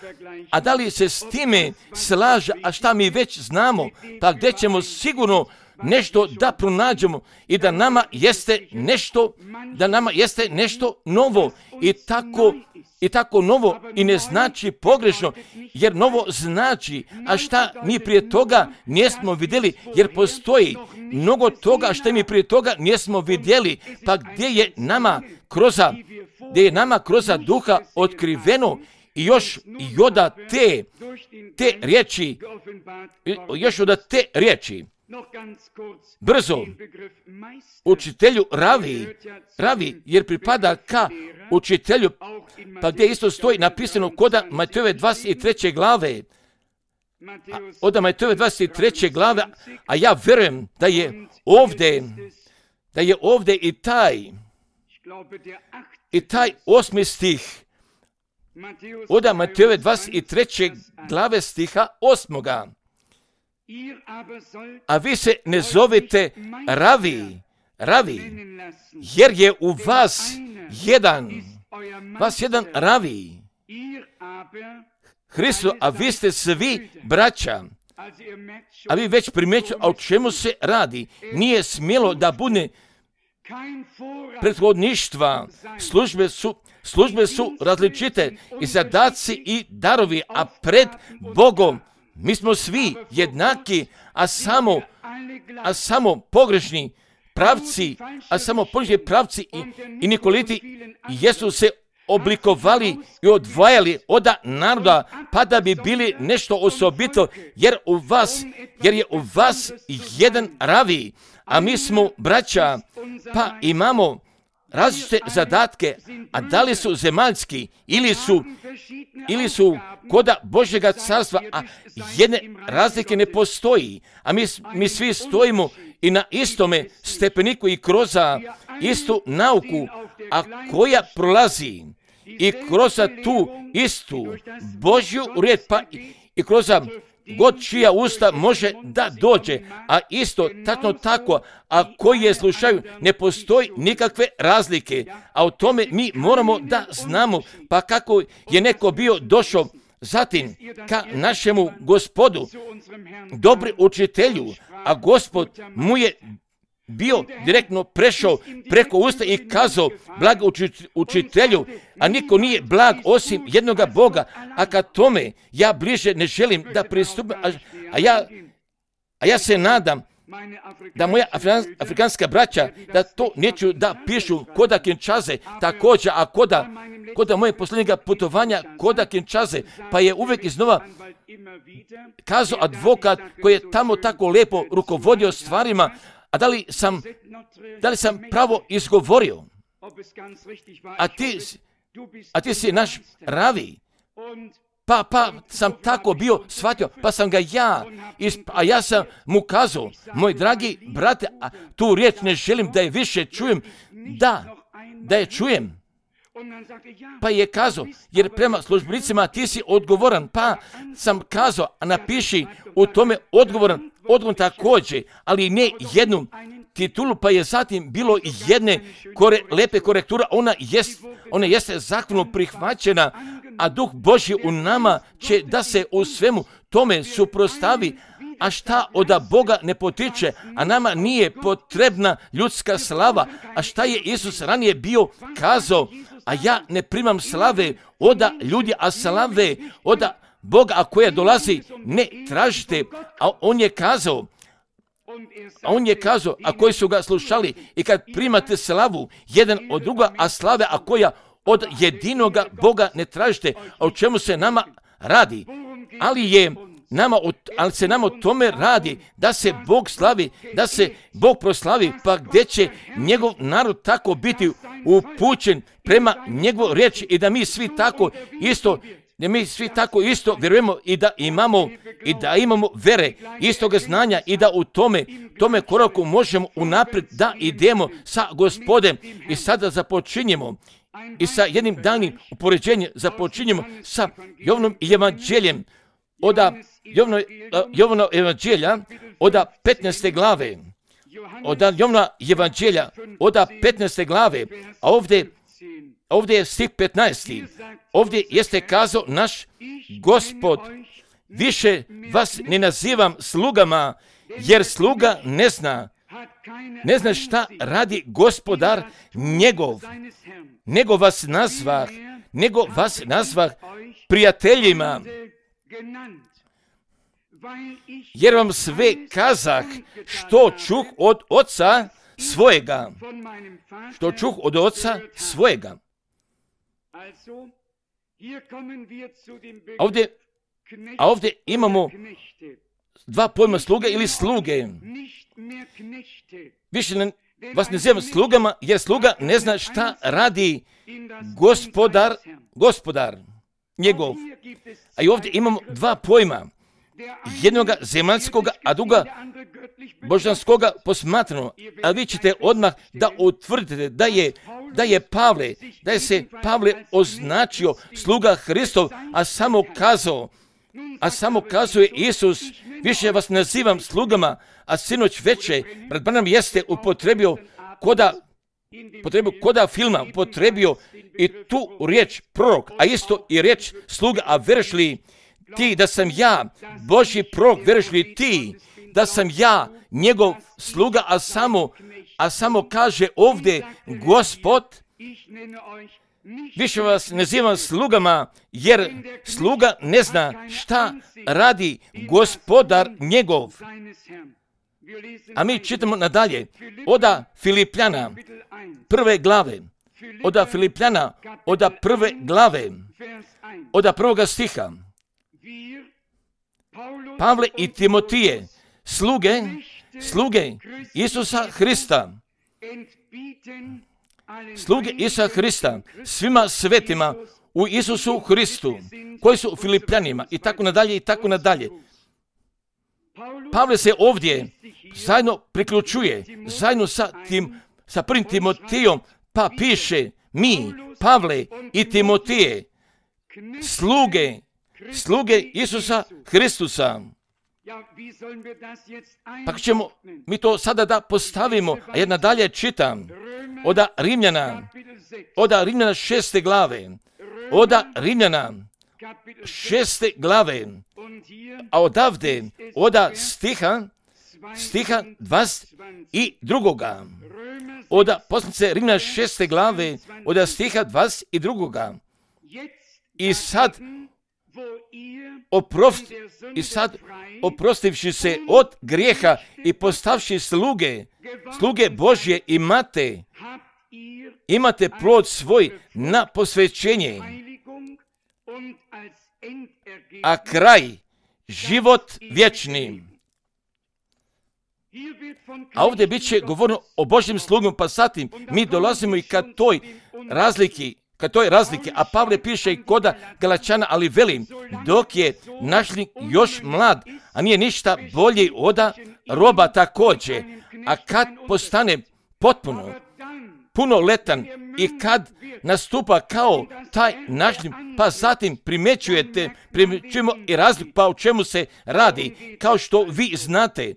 a da li se s time slaže, a šta mi već znamo, pa gdje ćemo sigurno nešto da pronađemo i da nama jeste nešto, da nama jeste nešto novo i tako i tako novo i ne znači pogrešno, jer novo znači, a šta mi prije toga nismo vidjeli, jer postoji mnogo toga što mi prije toga nismo vidjeli, pa gdje je nama kroz gdje je nama kroz duha otkriveno i još i od te te riječi, još od te riječi. Brzo, učitelju ravi, ravi jer pripada ka učitelju, pa gdje isto stoji napisano koda Matejove dvadeset treće glave, od Matejove dvadeset treće glave, a ja vjerujem da je ovdje, da je ovdje i taj, i taj osmi stih, od Matejove dvadeset treće glave stiha osmoga. A vi se ne zovete ravi, ravi, jer je u vas jedan, vas jedan ravi, Hristo, a vi ste svi braća. A vi već primjećujete, a o čemu se radi? Nije smjelo da bude prethodništva, službe su, službe su različite i zadaci i darovi, a pred Bogom mi smo svi jednaki, a samo, a samo pogrešni pravci, a samo pogrešni pravci i, i nikoliti jesu se oblikovali i odvajali od naroda, pa da bi bili nešto osobito, jer u vas, jer je u vas jedan ravi, a mi smo braća, pa imamo različite zadatke, a da li su zemaljski ili su ili su koda Božjega carstva, a jedne razlike ne postoji, a mi, mi svi stojimo i na istome stepeniku i kroz istu nauku, a koja prolazi i kroz tu istu Božju riječ, pa i kroz god čija usta može da dođe, a isto tačno tako, a koji je slušaju, ne postoji nikakve razlike, a o tome mi moramo da znamo, pa kako je neko bio došao zatim ka našemu Gospodu, dobri učitelju, a Gospod mu je bio direktno prešao preko usta i kazao blag učitelju, a niko nije blag osim jednoga Boga, a ka tome ja bliže ne želim da pristupim, a, a, ja, a ja se nadam da moja afrikanska braća da to neću da pišu koda Kinčaze također, a koda, koda moje posljednjega putovanja koda Kinčaze, pa je uvijek iznova kazao advokat koji je tamo tako lijepo rukovodio stvarima, a da li sam, da li sam pravo izgovorio? A ti, a ti si naš ravi. Pa, pa sam tako bio shvatio, pa sam ga ja, isp- a ja sam mu kazao, moj dragi brate, a tu riječ ne želim da je više čujem, da, da je čujem. Pa je kazao, jer prema službenicima ti si odgovoran, pa sam kazao, a napiši u tome odgovoran, odgovor također, ali ne jednu titulu, pa je zatim bilo jedne kore, lepe korektura, ona, jest, ona jeste zahvalno prihvaćena, a Duh Božji u nama će da se u svemu tome suprostavi, a šta od Boga ne potiče, a nama nije potrebna ljudska slava, a šta je Isus ranije bio kazao, a ja ne primam slave od ljudi, a slave od Boga, a koja dolazi ne tražite, a on je kazao, A on je kazao, a koji su ga slušali, i kad primate slavu jedan od druga, a slave, a koja od jedinoga Boga ne tražite, a o čemu se nama radi, ali je nama, ali se nama o tome radi, da se Bog slavi, da se Bog proslavi, pa gdje će njegov narod tako biti upućen prema njegovoj riječi i da mi svi tako isto, da mi svi tako isto vjerujemo i da imamo i da imamo vere, istoga znanja i da u tome, tome koraku možemo unaprijed da idemo sa Gospodem. I sada započinjemo i sa jednim danim upoređenjem započinjemo sa Jovanom evanđeljem od Jovana evanđelja od petnaeste glave. Od Jovana evanđelja od petnaeste glave, a ovdje, ovdje je stih petnaesti. Ovdje jeste kazao naš Gospod, više vas ne nazivam slugama, jer sluga ne zna, ne zna šta radi gospodar njegov, nego vas nazvah, nego vas nazvah prijateljima, jer vam sve kazah što čuh od oca svojega, što čuh od oca svojega. Ovdje, a ovdje imamo dva pojma sluge ili sluge. Više ne, vas ne zovem slugama, jer sluga ne zna šta radi gospodar, gospodar njegov. A i ovdje imamo dva pojma. Jednoga zemaljskoga, a druga božanskoga posmatrano. A vi ćete odmah da utvrdite da je, da je Pavle, da je se Pavle označio sluga Hristov, a samo kazao, a samo kazuje Isus, više vas nazivam slugama, a sinoć veče, brat Branham jeste upotrebio koda, upotrebio koda filma, upotrebio i tu riječ prorok, a isto i riječ sluga, a veruješ li ti da sam ja Božji prorok, veruješ li ti da sam ja njegov sluga, a samo, a samo kaže ovdje Gospod, više vas nazivam slugama, jer sluga ne zna šta radi gospodar njegov. A mi čitamo nadalje, oda Filipljana, prve glave, oda Filipljana, oda prve glave, oda prvoga stiha. Pavle i Timotije, sluge, sluge Isusa Hrista, sluge Isusa Hrista, svima svetima u Isusu Hristu, koji su u Filipljanima, i tako nadalje, i tako nadalje. Pavle se ovdje zajedno priključuje, zajedno sa, tim, sa prvim Timotijom, pa piše, mi, Pavle i Timotije, sluge, sluge Isusa Hristusa. Pa ćemo mi to sada da postavimo, a jedna dalje čitam, oda Rimljana, oda Rimljana šeste glave, oda Rimljana šeste glave, a odavde, oda stiha, stiha dvadeset drugoga, oda poslanice Rimljana šeste glave, oda stiha dvadeset drugoga. I sad, oprost, i sad oprostivši se od grijeha i postavši sluge, sluge Božje imate, imate plod svoj na posvećenje, a kraj život vječni. A ovdje bit će govorno o Božjem slugom, pa zatim mi dolazimo i ka toj razliki, ka toj razlike, a Pavle piše i koda Galačana, ali velim, dok je našlik još mlad, a nije ništa bolji oda roba također, a kad postane potpuno punoletan i kad nastupa kao taj našlik, pa zatim primjećujete, primjećujemo i razliku, pa o čemu se radi, kao što vi znate.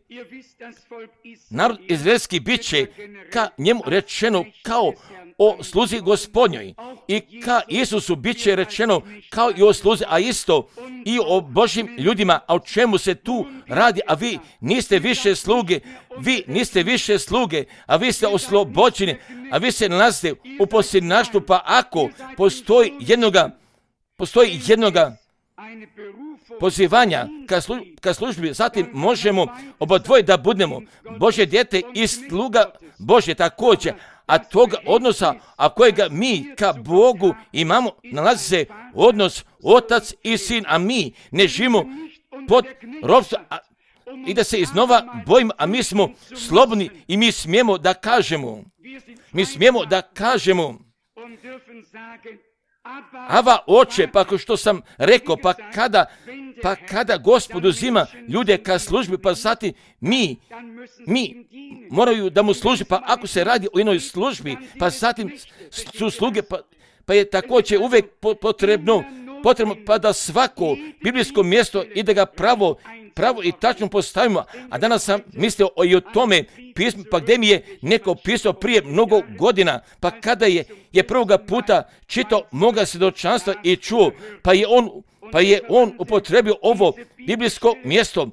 Narod izraelski bit će ka njemu rečeno kao o sluzi Gospodnjoj, i ka Isusu bit će rečeno kao i o sluzi, a isto i o Božjim ljudima. A o čemu se tu radi? A vi niste više sluge, vi niste više sluge, a vi ste oslobođeni, a vi se nalazite u posljednaštvu, pa ako postoji jednoga, postoji jednoga, pozivanja ka, slu, ka službi, zatim možemo obodvoje da budemo Božje dijete i sluga Božje također, a toga odnosa, a kojega mi ka Bogu imamo, nalazi se odnos otac i sin, a mi ne živimo pod ropstvom i da se iznova bojimo, a mi smo slobodni i mi smijemo da kažemo, mi smijemo da kažemo, Ava oče, pa kao što sam rekao, pa kada, pa kada Gospod uzima ljude ka službi, pa zatim mi, mi moraju da mu služi, pa ako se radi o jednoj službi, pa zatim su sluge, pa, pa je također uvijek potrebno, potrebno pa da svako biblijsko mjesto i da ga pravo, pravo i tačno postavimo. A danas sam mislio o, i o tome pismu, pa gdje mi je neko pisao prije mnogo godina, pa kada je, je prvoga puta čitao moga svjedočanstva i čuo, pa je on, pa je on upotrebio ovo biblijsko mjesto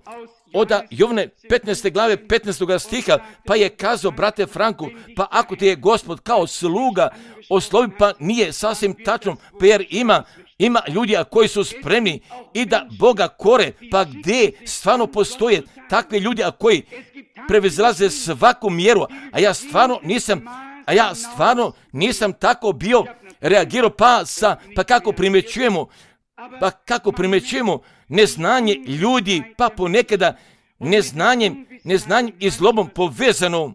od Jovane petnaeste glave petnaestog stiha, pa je kazao, brate Franku, pa ako ti je Gospod kao sluga oslovi, pa nije sasvim tačno, pa jer ima Ima ljudi koji su spremni i da Boga kore, pa gdje stvarno postoje takvi ljudi koji prevazilaze svaku mjeru, a ja stvarno nisam, a ja stvarno nisam tako bio reagirao, pa sa, pa kako primjećujemo, pa kako primjećujemo neznanje ljudi, pa ponekada neznanjem, neznanjem i zlobom povezano,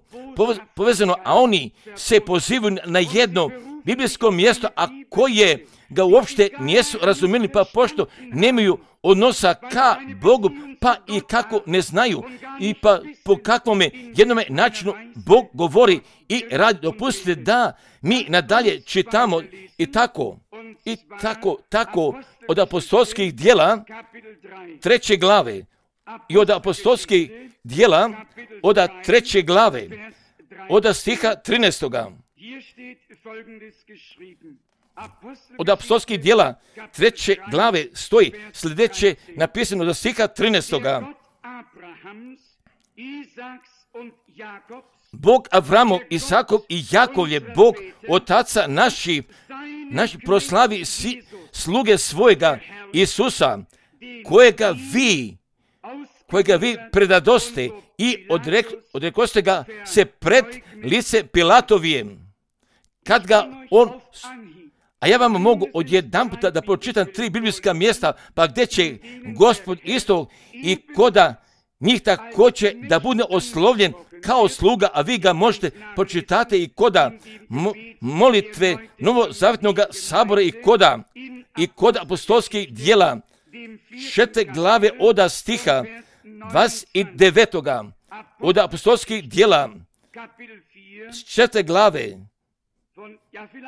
povezano, a oni se pozivaju na jedno biblijsko mjesto, a koje ga uopšte nisu razumjeli, pa pošto nemaju odnosa ka Bogu, pa i kako ne znaju, i pa po kakvome jednome načinu Bog govori i radi. Dopustite da mi nadalje čitamo i tako, i tako, tako od apostolskih djela treće glave, i od apostolskih djela od treće glave, od stiha trinaestoga. Od apostolskih djela treće glave stoji sljedeće napisano do stiha trinaestoga. Bog Avramov, Isakov i Jakov je Bog otaca naši, naši proslavi si, sluge svojega Isusa, kojega vi, kojega vi predadoste i odrek, odrekoste ga se pred lice Pilatovijem, kad ga on. A ja vam mogu odjedan puta da pročitam tri biblijska mjesta, pa gdje će Gospod isto i koda njih također da bude oslovljen kao sluga, a vi ga možete pročitati i koda mo- molitve Novozavjetnog sabora i koda, i koda apostolskih djela šete glave oda stiha dvadeset devetog. Od apostolskih djela šete glave,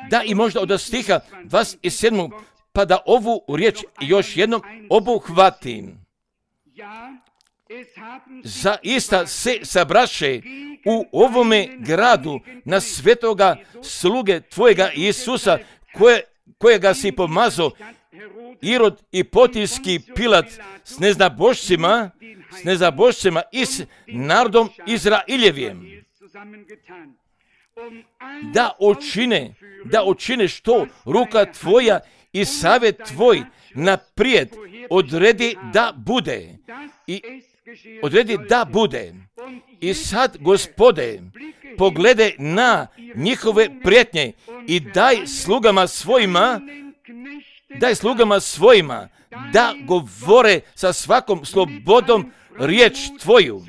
da i možda od stiha dvadeset sedmog, pa da ovu riječ još jednom obuhvatim. Zaista se sabraše u ovome gradu na svetoga sluge tvojega Isusa, koje, kojega si pomazao Irod i Pontijski Pilat s neznabošcima, s neznabošcima i s narodom Izrailjevijem, da učine, da učine što ruka tvoja i savjet tvoj naprijed odredi da bude. I odredi da bude. I sad, Gospode, pogledaj na njihove prijetnje i daj slugama svojima, daj slugama svojima da govore sa svakom slobodom riječ tvoju.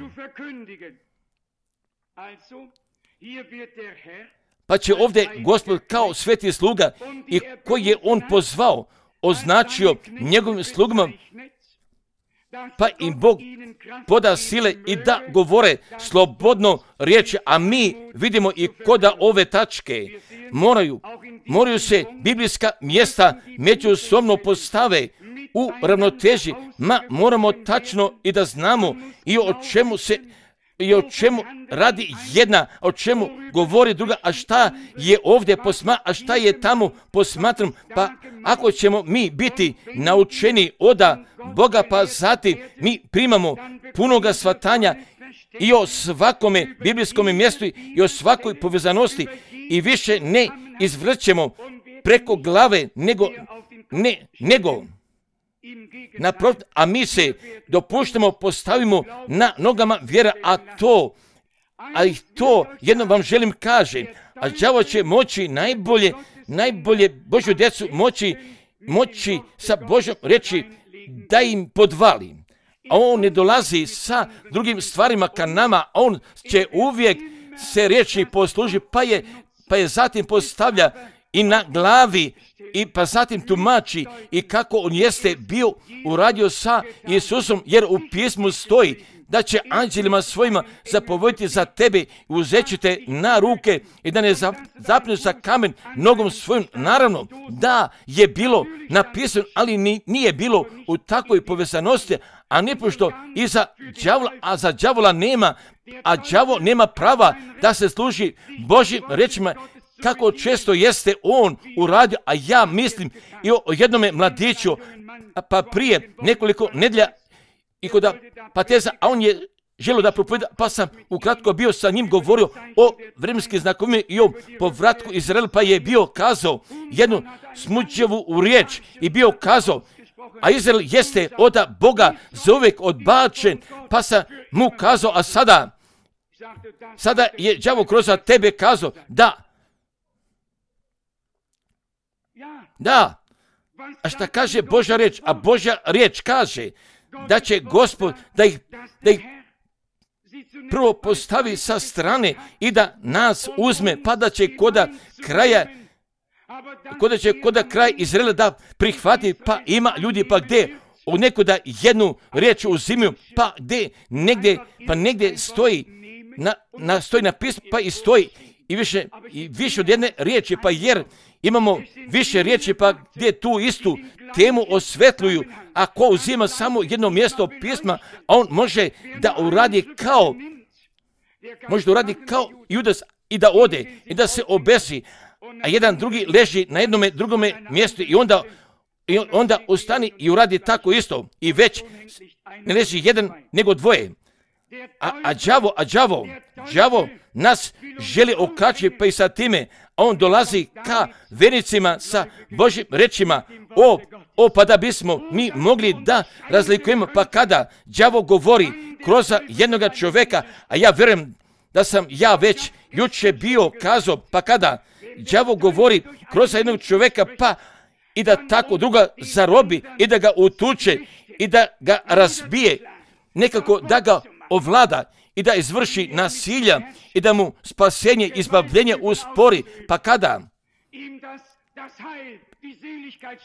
Pa će ovdje Gospod kao sveti sluga i koji je on pozvao, označio njegovim slugama, pa im Bog poda sile i da govore slobodno riječi, a mi vidimo i koda ove tačke moraju, moraju se biblijska mjesta međusobno postave u ravnoteži, ma moramo tačno i da znamo i o čemu se i o čemu radi jedna, o čemu govori druga, a šta je ovdje posma, a šta je tamo posmatram, pa ako ćemo mi biti naučeni oda Boga, pa zatim mi primamo punoga shvatanja i o svakome biblijskome mjestu i o svakoj povezanosti i više ne izvrćemo preko glave, nego, ne, nego Naprotiv, a mi se dopuštamo, postavimo na nogama vjera, a to, a i to jedno vam želim kažem, a đavo će moći najbolje, najbolje Božju djecu moći, moći sa Božjom reći da im podvali. A on ne dolazi sa drugim stvarima ka nama, on će uvijek se riječi posluži, pa je, pa je zatim postavlja i na glavi, i pa zatim tumači i kako on jeste bio uradio sa Isusom, jer u pismu stoji da će anđelima svojima zapovjediti za tebe i uzet će te na ruke i da ne zapnu sa kamen nogom svojom. Naravno da je bilo napisano, ali nije bilo u takvoj povezanosti, a ne pošto i za đavola, a za đavola nema, a đavo nema prava da se služi Božjim rečima, kako često jeste on uradio, a ja mislim i o jednome mladiću, pa prije nekoliko nedjelja i kod pateza, a on je želio da propovjeda, pa sam ukratko bio sa njim govorio o vremenskim znakovima i o povratku Izraela, pa je bio kazao jednu smuđevu riječ i bio kazao, a Izrael jeste od Boga zauvijek odbačen, pa sam mu kazao, a sada, sada je đavo kroz tebe kazao, da, da, a šta kaže Božja riječ? A Božja riječ kaže da će Gospod da ih, da ih prvo postavi sa strane i da nas uzme, pa da će koda kraja, koda će koda kraj Izraela da prihvati, pa ima ljudi, pa gdje u nekuda jednu riječ uzimaju, pa gdje negdje, pa negdje stoji, na, na, stoji napisano, pa i stoji i više, i više od jedne riječi, pa jer imamo više riječi, pa gdje tu istu temu osvetljuju, a ko uzima samo jedno mjesto pisma, a on može da uradi kao, može da uradi kao Judas i da ode i da se obesi, a jedan drugi leži na jednome drugome mjestu i onda, i onda ustani i uradi tako isto i već ne leži jedan nego dvoje. A, a đavo, a đavo, đavo nas želi okačiti, pa i sa time, a on dolazi ka vernicima sa Božjim rečima, o, o, pa da bismo mi mogli da razlikujemo, pa kada đavo govori kroz jednoga čovjeka, a ja vjerujem da sam ja već juče bio kazao, pa kada đavo govori kroz jednog čovjeka, pa i da tako druga zarobi i da ga utuče i da ga razbije, nekako da ga ovlada i da izvrši nasilja i da mu spasenje, izbavljenje uspori, pa kada?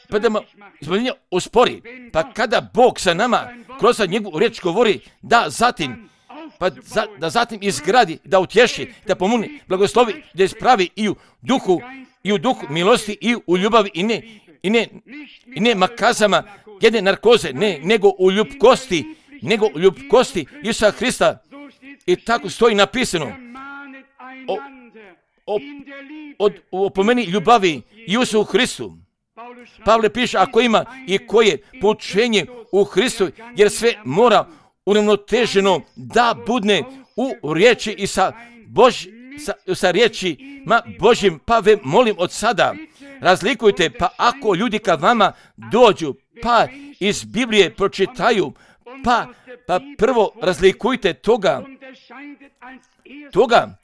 Pa da mu izbavljenje uspori, pa kada Bog sa nama kroz njegovu riječ govori da zatim, pa za, da zatim izgradi, da utješi, da pomuni, blagoslovi, da ispravi i u duhu, i u duhu milosti i u ljubavi i ne, i ne, i ne makazama, jedne narkoze, ne, nego u ljubkosti, nego u ljubkosti Isusa Hrista. I tako stoji napisano o, o, od, o pomeni ljubavi Isusu Hristu. Pavle piše, ako ima i koje poučenje u Hristu, jer sve mora uravnoteženo da budne u riječi i sa, Bož, sa, sa riječima Božjim, pa ve molim od sada, razlikujte, pa ako ljudi ka vama dođu, pa iz Biblije pročitaju, pa, pa prvo razlikujte toga, toga,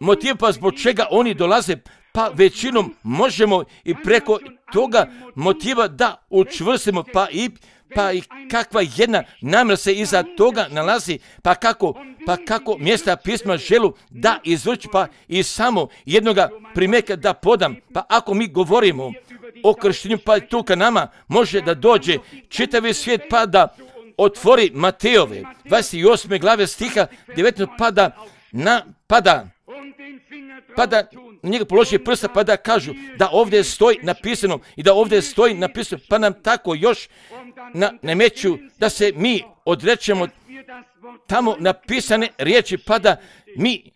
motiv pa zbog čega oni dolaze, pa većinom možemo i preko toga motiva da učvrstimo, pa i, pa i kakva jedna namjera se iza toga nalazi, pa kako, pa kako mjesta pisma želu da izvrći, pa i samo jednoga primjeka da podam, pa ako mi govorimo o krštenju, pa tu ka nama može da dođe čitavi svijet, pa da otvori Matejove dvadeset osme glave stiha devetnaest, pa da na, pa da, pa da na njega položi prsta, pa da kažu da ovdje stoji napisano i da ovdje stoji napisano, pa nam tako još na, nameću da se mi odrećemo tamo napisane riječi, pa da mi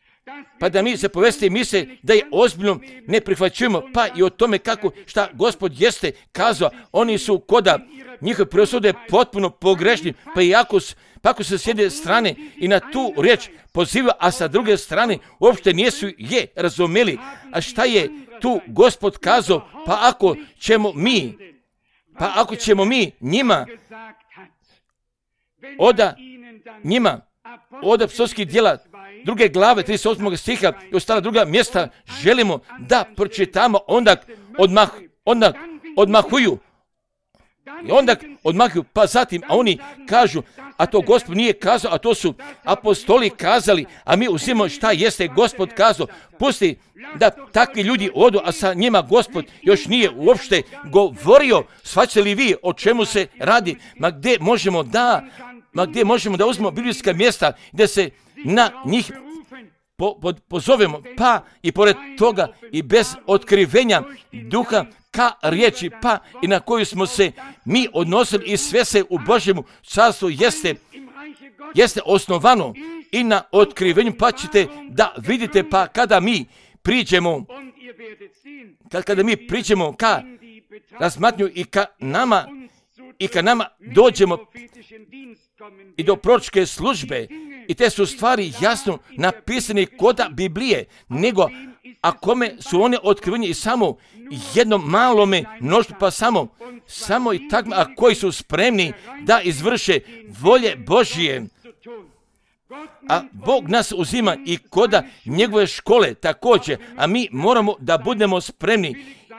pa da mi se povesti misle da je ozbiljno ne prihvaćujemo, pa i o tome kako šta Gospod jeste kazao, oni su koda njihove presude potpuno pogrešni, pa i ako, pa ako se s jedne strane i na tu riječ poziva, a sa druge strane uopšte nisu je razumeli, a šta je tu Gospod kazao, pa ako ćemo mi Pa ako ćemo mi njima oda njima od apostolskih djela druge glave trideset osmog stiha i ostala druga mjesta želimo da pročitamo, onda odmah, onda odmahuju. I onda odmahuju, pa zatim, a oni kažu, a to Gospod nije kazao, a to su apostoli kazali, a mi uzimamo šta jeste Gospod kazao. Pusti da takvi ljudi odu, a sa njima Gospod još nije uopšte govorio. Shvaćate li vi o čemu se radi? Ma gdje možemo da, ma gdje možemo da uzmemo biblijska mjesta gdje se na njih po, po, pozovemo, pa i pored toga i bez otkrivenja duha ka riječi, pa i na koju smo se mi odnosili i sve se u Božjemu carstvu jeste, jeste osnovano i na otkrivenju, pa ćete da vidite, pa kada mi priđemo, kad, kada mi priđemo ka razmatnju i ka nama, i kad nama dođemo i do proročke službe, i te su stvari jasno napisane koda Biblije, nego a kome su one otkriveni i samo jednom malome mnoštvu, pa samo, samo i tako, a koji su spremni da izvrše volje Božije. A Bog nas uzima i koda njegove škole također, a mi moramo da budemo spremni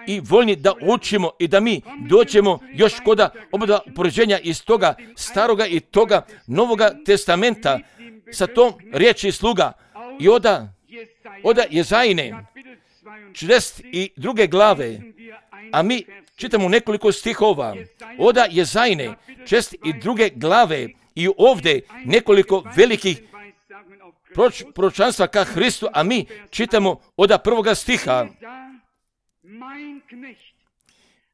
i voljni da učimo i da mi dođemo još koda oba upoređenja iz toga staroga i toga novoga testamenta sa tom riječi sluga i oda, oda Jezajine četrdeset druge glave, a mi čitamo nekoliko stihova oda Jezajine četrdeset druge glave i ovdje nekoliko velikih proč, proročanstva ka Hristu, a mi čitamo oda prvoga stiha.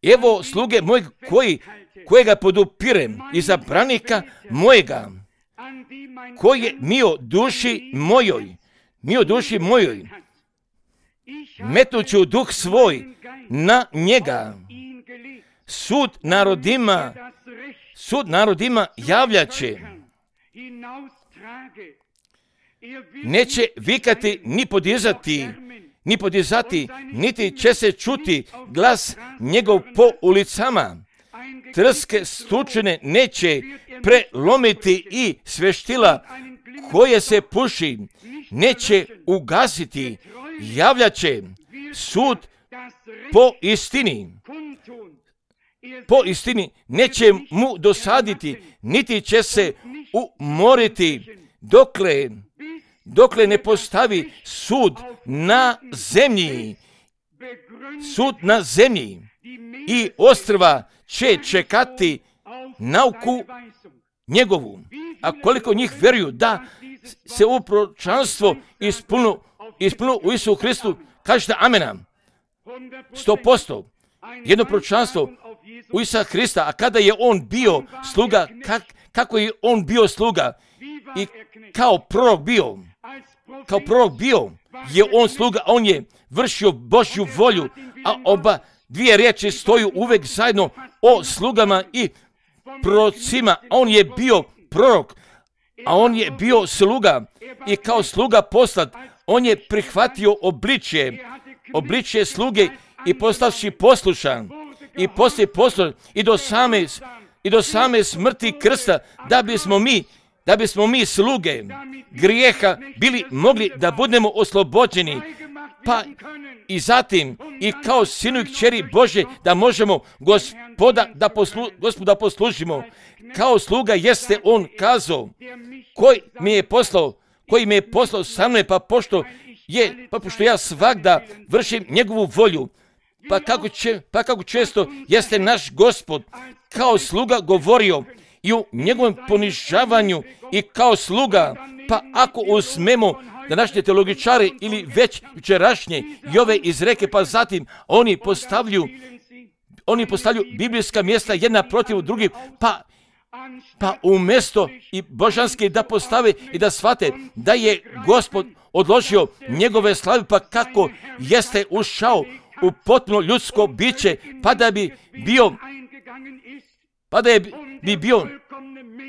Evo sluge mojeg koji, kojega podupirem i zabranika mojega, koji je mio duši mojoj, mio duši mojoj, metuću duh svoj na njega, sud narodima, sud narodima javljaće, neće vikati ni podizati, ni podizati, niti će se čuti glas njegov po ulicama. Trske stučene neće prelomiti i sveštila koje se puši neće ugasiti. Javljaće sud po istini. Po istini neće mu dosaditi, niti će se umoriti dokle dokle ne postavi sud na zemlji, sud na zemlji i ostrva će čekati nauku njegovu. A koliko njih vjeruju da se ovo proročanstvo ispunilo, ispunilo u Isusu Hristu, kažete amena. Sto posto. Jedno proročanstvo u Isusa Hrista, a kada je on bio sluga, kak, kako je on bio sluga i kao prorok bio, kao prorok bio, je on sluga, on je vršio Božju volju, a oba dvije riječi stoju uvek zajedno o slugama i prorocima. On je bio prorok, a on je bio sluga i kao sluga poslat, on je prihvatio obličje, obličje sluge i postavši poslušan i poslije poslušan i do same, i do same smrti krsta, da bismo mi da bismo mi sluge grijeha bili mogli da budemo oslobođeni, pa i zatim i kao sinu i kćeri Bože da možemo gospoda da, poslu, gospoda poslužimo. Kao sluga jeste on kazao, koji mi je poslao, koji mi je poslao sa mnom, pa pošto je, pa pošto ja svagda vršim njegovu volju, pa kako, će, pa kako često jeste naš Gospod kao sluga govorio i u njegovom ponižavanju i kao sluga, pa ako uzmemo današnje teologičare ili već jučerašnje i ove izreke, pa zatim oni postavljaju, oni postavljaju biblijska mjesta jedna protiv drugih, pa, pa umjesto i božanske da postave i da shvate da je Gospod odložio njegove slave, pa kako jeste ušao u potpuno ljudsko biće, pa da bi bio, pa da je bi bio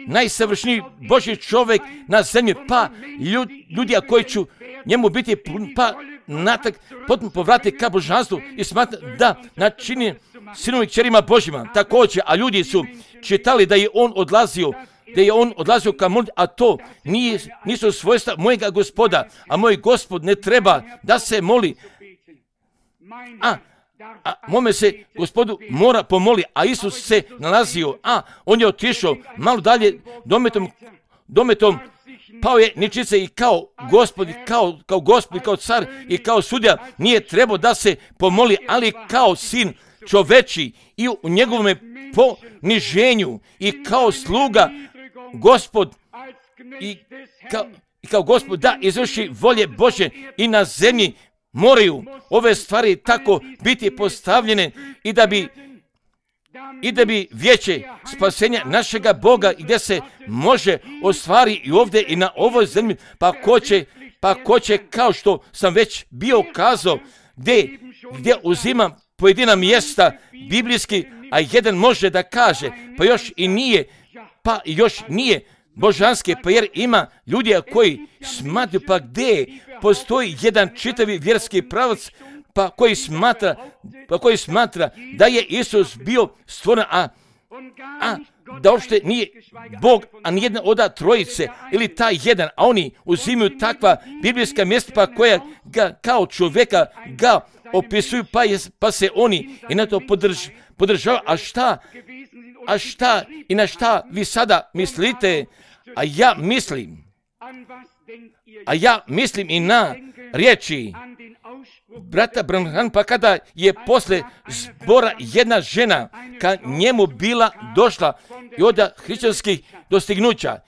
najsavršniji Božji čovjek na zemlji, pa ljudi, ljudi koji će njemu biti, pa natak potpuno povrati ka božanstvu i smatra da načini sinovi kćerima Božjima. Također, a ljudi su čitali da je on odlazio, da je on odlazio ka molitvi, a to nije, nisu svojstva mojega Gospoda, a moj Gospod ne treba da se moli. A, a mome se Gospodu mora pomoli, a Isus se nalazio, a on je otišao malo dalje dometom, dometom pao je ničice i kao Gospod, kao, kao Gospod, kao car i kao sudja nije trebao da se pomoli, ali kao sin čoveči i u njegovom poniženju i kao sluga Gospod i kao, i kao Gospod da izvrši volje Božje i na zemlji moraju ove stvari tako biti postavljene i da bi i da bi vijeće spasenja našega Boga gdje se može ostvari i ovdje i na ovoj zemlji, pa ko će, pa ko će kao što sam već bio kazao, gdje, gdje uzimam pojedina mjesta biblijski, a jedan može da kaže, pa još i nije, pa još nije božanske, pa jer ima ljudi koji smatruju, pa gdje postoji jedan čitavi vjerski pravac, pa koji smatra, pa koji smatra da je Isus bio stvoren, a, a da uopšte nije Bog, a nijedna od trojice, ili taj jedan, a oni uzimaju takva biblijska mjesta, pa koja ga kao čovjeka ga opisuju, pa, je, pa se oni i na to podrž, podržavaju. A šta, a šta i na šta vi sada mislite? A ja mislim, a ja mislim i na riječi brata Branhama, pa kada je posle zbora jedna žena ka njemu bila došla i od hrišćanskih dostignuća.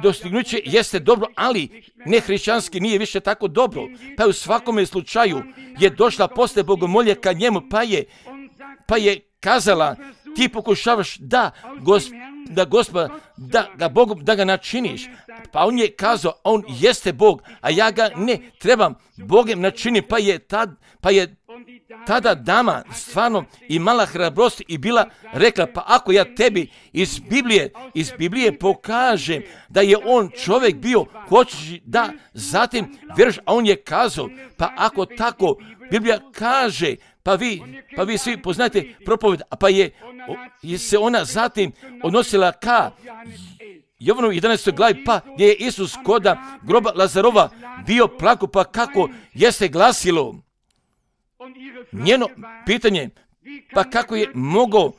Dostignuće jeste dobro, ali ne hrišćanski nije više tako dobro. Pa u svakome slučaju je došla posle bogomolje ka njemu, pa je, pa je kazala, ti pokušavaš da gospod, da Gospoda, da ga Bogu, da ga načiniš. Pa on je kazao, on jeste Bog, a ja ga ne trebam Bogem načini, pa je, tad, pa je tada dama stvarno imala hrabrost i bila rekla, pa ako ja tebi iz Biblije, iz Biblije pokažem da je on čovjek bio, hoćeš da zatim vjeruješ, a on je kazao, pa ako tako Biblija kaže, pa vi, pa vi svi poznate propoved, a pa je, je se ona zatim odnosila ka Jovanu jedanaestoj glavi, pa gdje je Isus koda groba Lazarova bio plako, pa kako jeste glasilo njeno pitanje, pa kako je mogao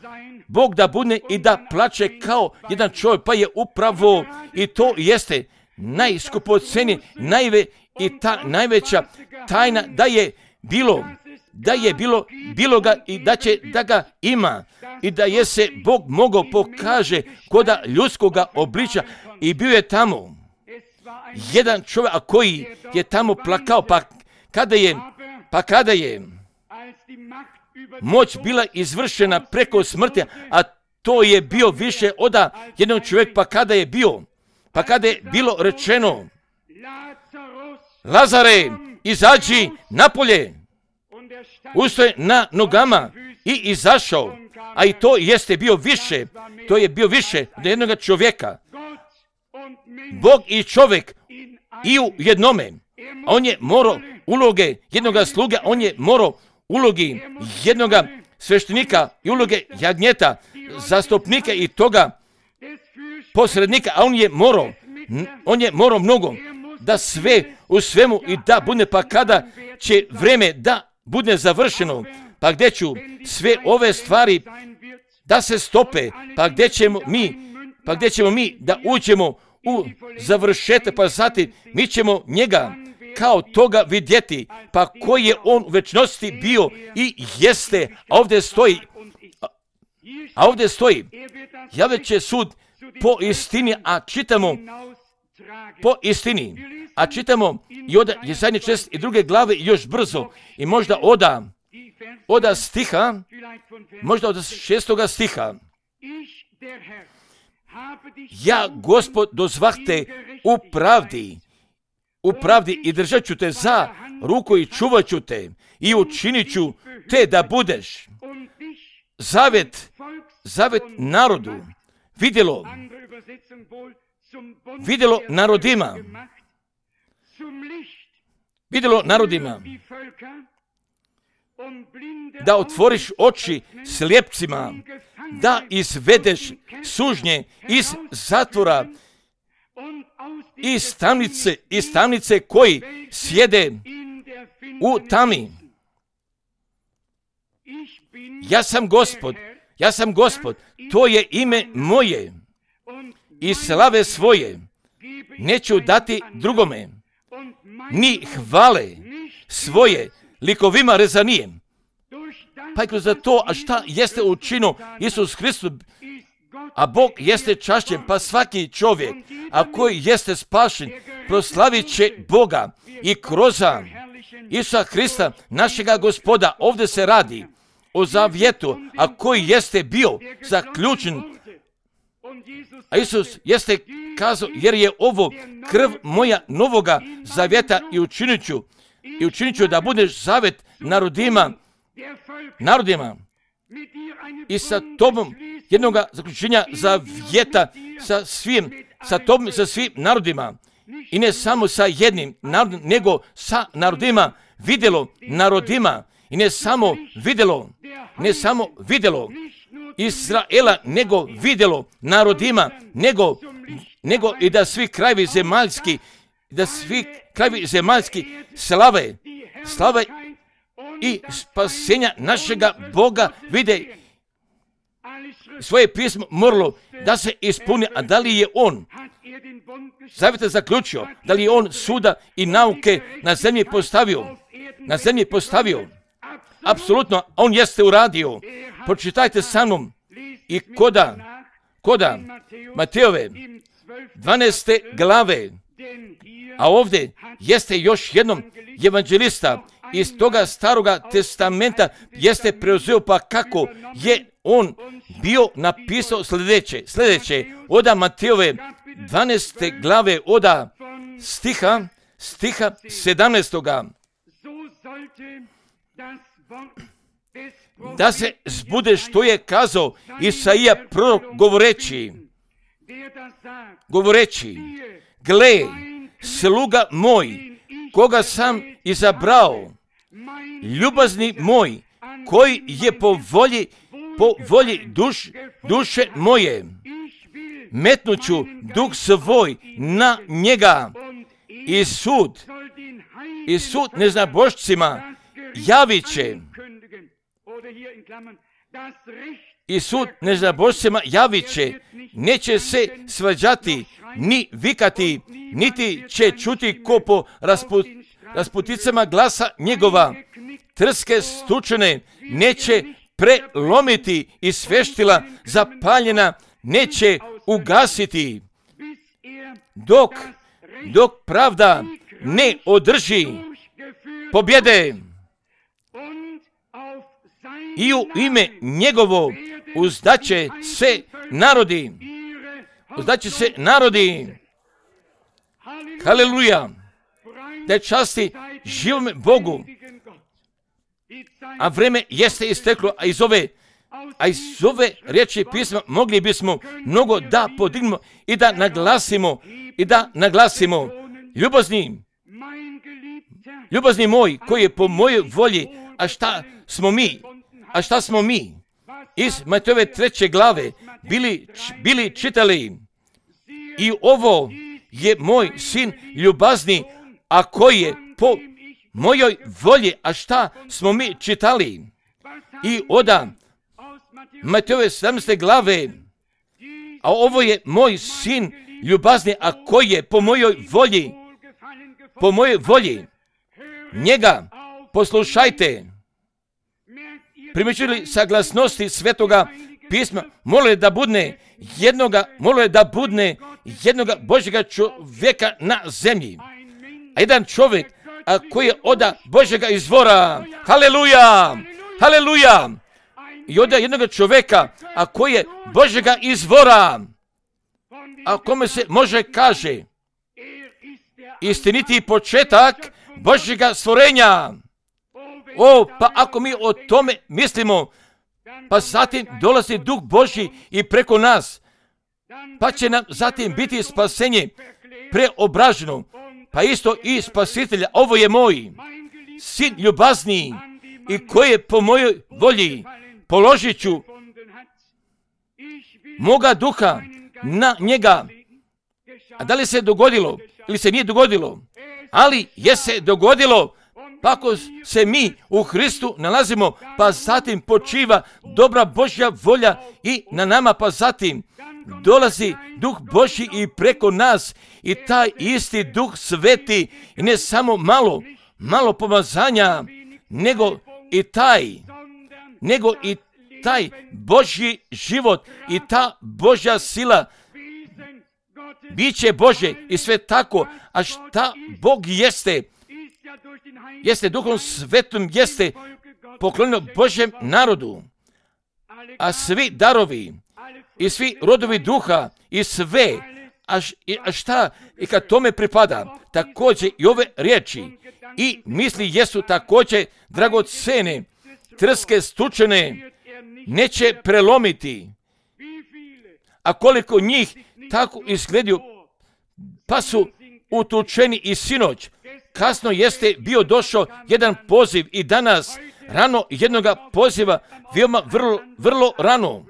Bog da budne i da plače kao jedan čovjek, pa je upravo i to jeste najskupoceni, najve i ta najveća tajna da je bilo, da je bilo, bilo ga i da će da ga ima i da je se Bog mogao pokaže koda ljudskoga obliča i bio je tamo jedan čovjek a koji je tamo plakao, pa kada je, pa kada je moć bila izvršena preko smrti, a to je bio više od jednog čovjeka, pa kada je bio, pa kada je bilo rečeno, Lazare, izađi napolje, ustoje na nogama i izašao, a i to jeste bio više, to je bio više od jednog čovjeka. Bog i čovjek i u jednome, on je morao uloge jednoga sluge, on je morao ulogi jednoga sveštenika i uloge jagnjeta, zastupnika i toga posrednika, a on je morao, on je morao mnogo da sve u svemu i da bude, pa kada će vreme da bude završeno, pa gdje ću sve ove stvari da se stope, pa gdje ćemo mi, pa gdje ćemo mi da uđemo u završetak, pa zatim mi ćemo njega kao toga vidjeti, pa koji je on u večnosti bio i jeste, a ovdje stoji, a ovdje stoji, javit će sud po istini, a čitamo po istini, a čitamo i od Jesaja šesnaeste i druge glave još brzo i možda oda, oda stiha, možda od šestoga stiha. Ja, Gospod, dozvahte u pravdi, u pravdi i držat ću te za ruku i čuvat ću te i učinit ću te da budeš zavet, zavet narodu, vidjelo, vidjelo narodima, vidjelo narodima, da otvoriš oči slijepcima, da izvedeš sužnje iz zatvora, iz tamnice, iz tamnice koji sjede u tami. Ja sam Gospod, ja sam Gospod, to je ime moje i slave svoje neću dati drugome, ni hvale svoje likovima rezanijem. Pa i kroz to, a šta jeste učinio Isus Hristos, a Bog jeste čašćen, pa svaki čovjek, a koji jeste spašen, proslavit će Boga i kroz Isusa Hrista, našega Gospoda. Ovdje se radi o zavjetu, a koji jeste bio zaključen. A Isus jeste kazao, jer je ovo krv moja novoga zavjeta i učinit ću, i učinit ću da budeš zavjet narodima, narodima i sa tobom jednoga zaključenja zavjeta sa svim, sa tobom, sa svim narodima. I ne samo sa jednim narodom, nego sa narodima, vidjelo narodima. I ne samo vidjelo, ne samo vidjelo Izraela, nego vidjelo narodima, nego, nego i da svi krajevi zemaljski, da svi krajevi zemaljski slave, slave i spasenja našega Boga vide. Svoje pismo moralo da se ispuni, a da li je on zavjeta zaključio, da li je on suda i nauke na zemlji postavio, na zemlji postavio. Apsolutno, on jeste uradio. Pročitajte sa mnom i koda, koda Matejove dvanaeste glave, a ovdje jeste još jednom evanđelista iz toga staroga testamenta jeste preuzeo, pa kako je on bio napisao sljedeće, sljedeće, oda Matejove dvanaeste glave, oda stiha, stiha sedamnaestoga. Da se zbude što je kazao Isaija prorok govoreći, govoreći, gle, sluga moj, koga sam izabrao, ljubazni moj, koji je po volji, po volji duš, duše moje, metnuću duh svoj na njega i sud, i sud neznabošcima javit će, i sud neznabošcima javit će, neće se svađati, ni vikati, niti će čuti ko po rasput, rasputicama glasa njegova, trske stučene neće prelomiti i sveštila zapaljena neće ugasiti, dok, dok pravda ne održi pobjede. I u ime njegovo uzdaće se narodi. Uzdaće se narodi. Haleluja. Da časti živome Bogu. A vreme jeste isteklo, a iz ove, a iz ove riječi pisma mogli bismo mnogo da podignemo i da naglasimo, i da naglasimo. Ljubazni, ljubazni moj, koji je po mojoj volji, a šta smo mi? A šta smo mi? Iz Matejove treće glave bili, bili čitali. I ovo je moj sin ljubazni, a koji je po mojoj volji. A šta smo mi čitali? I oda Matejove sedamnaeste glave. A ovo je moj sin ljubazni, a koji je po mojoj volji. Po mojoj volji. Njega poslušajte. Primjećili saglasnosti svetoga pisma, mole da budne jednoga, mole da budne jednoga Božjega čovjeka na zemlji. A jedan čovjek, a koji je oda Božjega izvora. Haleluja! Haleluja! I oda jednoga čovjeka, a koji je Božjega izvora. A kome se može kaže istiniti početak Božjega stvorenja. O, pa ako mi o tome mislimo, pa zatim dolazi Duh Božji i preko nas, pa će nam zatim biti spasenje preobraženo, pa isto i spasitelja. Ovo je moj sin ljubazniji i koji je po mojoj volji. Položit ću moga duha na njega. A da li se dogodilo ili se nije dogodilo? Ali je se dogodilo. Pa ako se mi u Hristu nalazimo, pa zatim počiva dobra Božja volja i na nama, pa zatim dolazi Duh Božji i preko nas i taj isti Duh Sveti i ne samo malo, malo pomazanja, nego i taj, nego i taj Božji život i ta Božja sila, biće Božje i sve tako. A šta Bog jeste? Jeste Duhom Svetom, jeste poklonjeno Božjem narodu, a svi darovi i svi rodovi duha i sve, a, a šta i kad tome pripada, također i ove riječi i misli jesu također dragocene, trske stučene, neće prelomiti. A koliko njih tako izgledaju, pa su utučeni i sinoć. Kasno jeste bio došao jedan poziv i danas rano jednoga poziva, veoma vrlo, vrlo rano.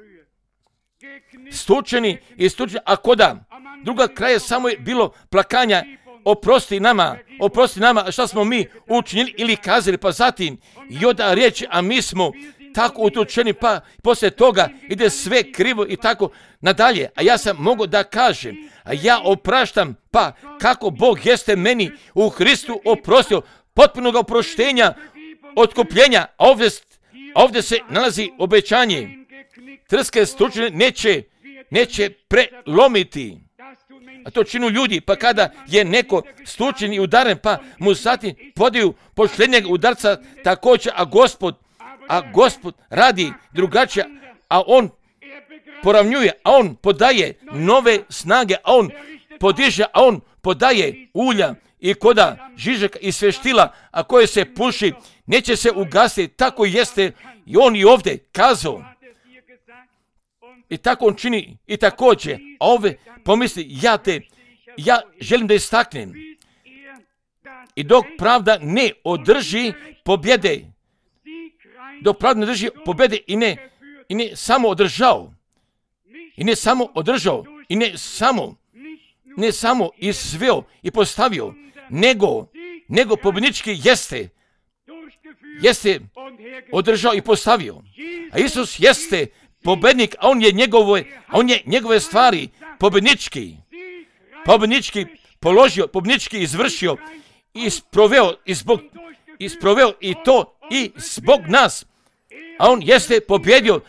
Stučeni i stučeni, a koda druga kraja samo je bilo plakanja, oprosti nama, oprosti nama, a šta smo mi učinili ili kazali, pa zatim i onda riječi, a mi smo tako utučeni, pa poslije toga ide sve krivo i tako nadalje. A ja sam mogao da kažem, a ja opraštam, pa kako Bog jeste meni u Hristu oprostio, potpunog oproštenja, otkupljenja, a ovdje, ovdje se nalazi obećanje. Trske stučene neće, neće prelomiti. A to činu ljudi, pa kada je neko stučen i udaren, pa mu zatim podaju posljednjeg udarca također, a Gospod, a Gospod radi drugačije, a on poravnjuje, a on podaje nove snage, a on podiže, a on podaje ulja i koda žižaka i sveštila, a koje se puši, neće se ugasiti. Tako jeste i on i ovdje kazao. I tako on čini i također, a ove pomisli, ja te, ja želim da istaknem. I dok pravda ne održi pobjede, dok pravda ne drži pobjede i ne, i ne samo održao, i ne samo održao, i ne samo, ne samo izveo i postavio, nego, nego pobjednički jeste, jeste održao i postavio. A Isus jeste pobjednik, a on je njegove, a on je njegove stvari pobjednički, pobjednički položio, pobjednički izvršio i sproveo i zbog, i sproveo i to i zbog nas. A on jeste pobjedio,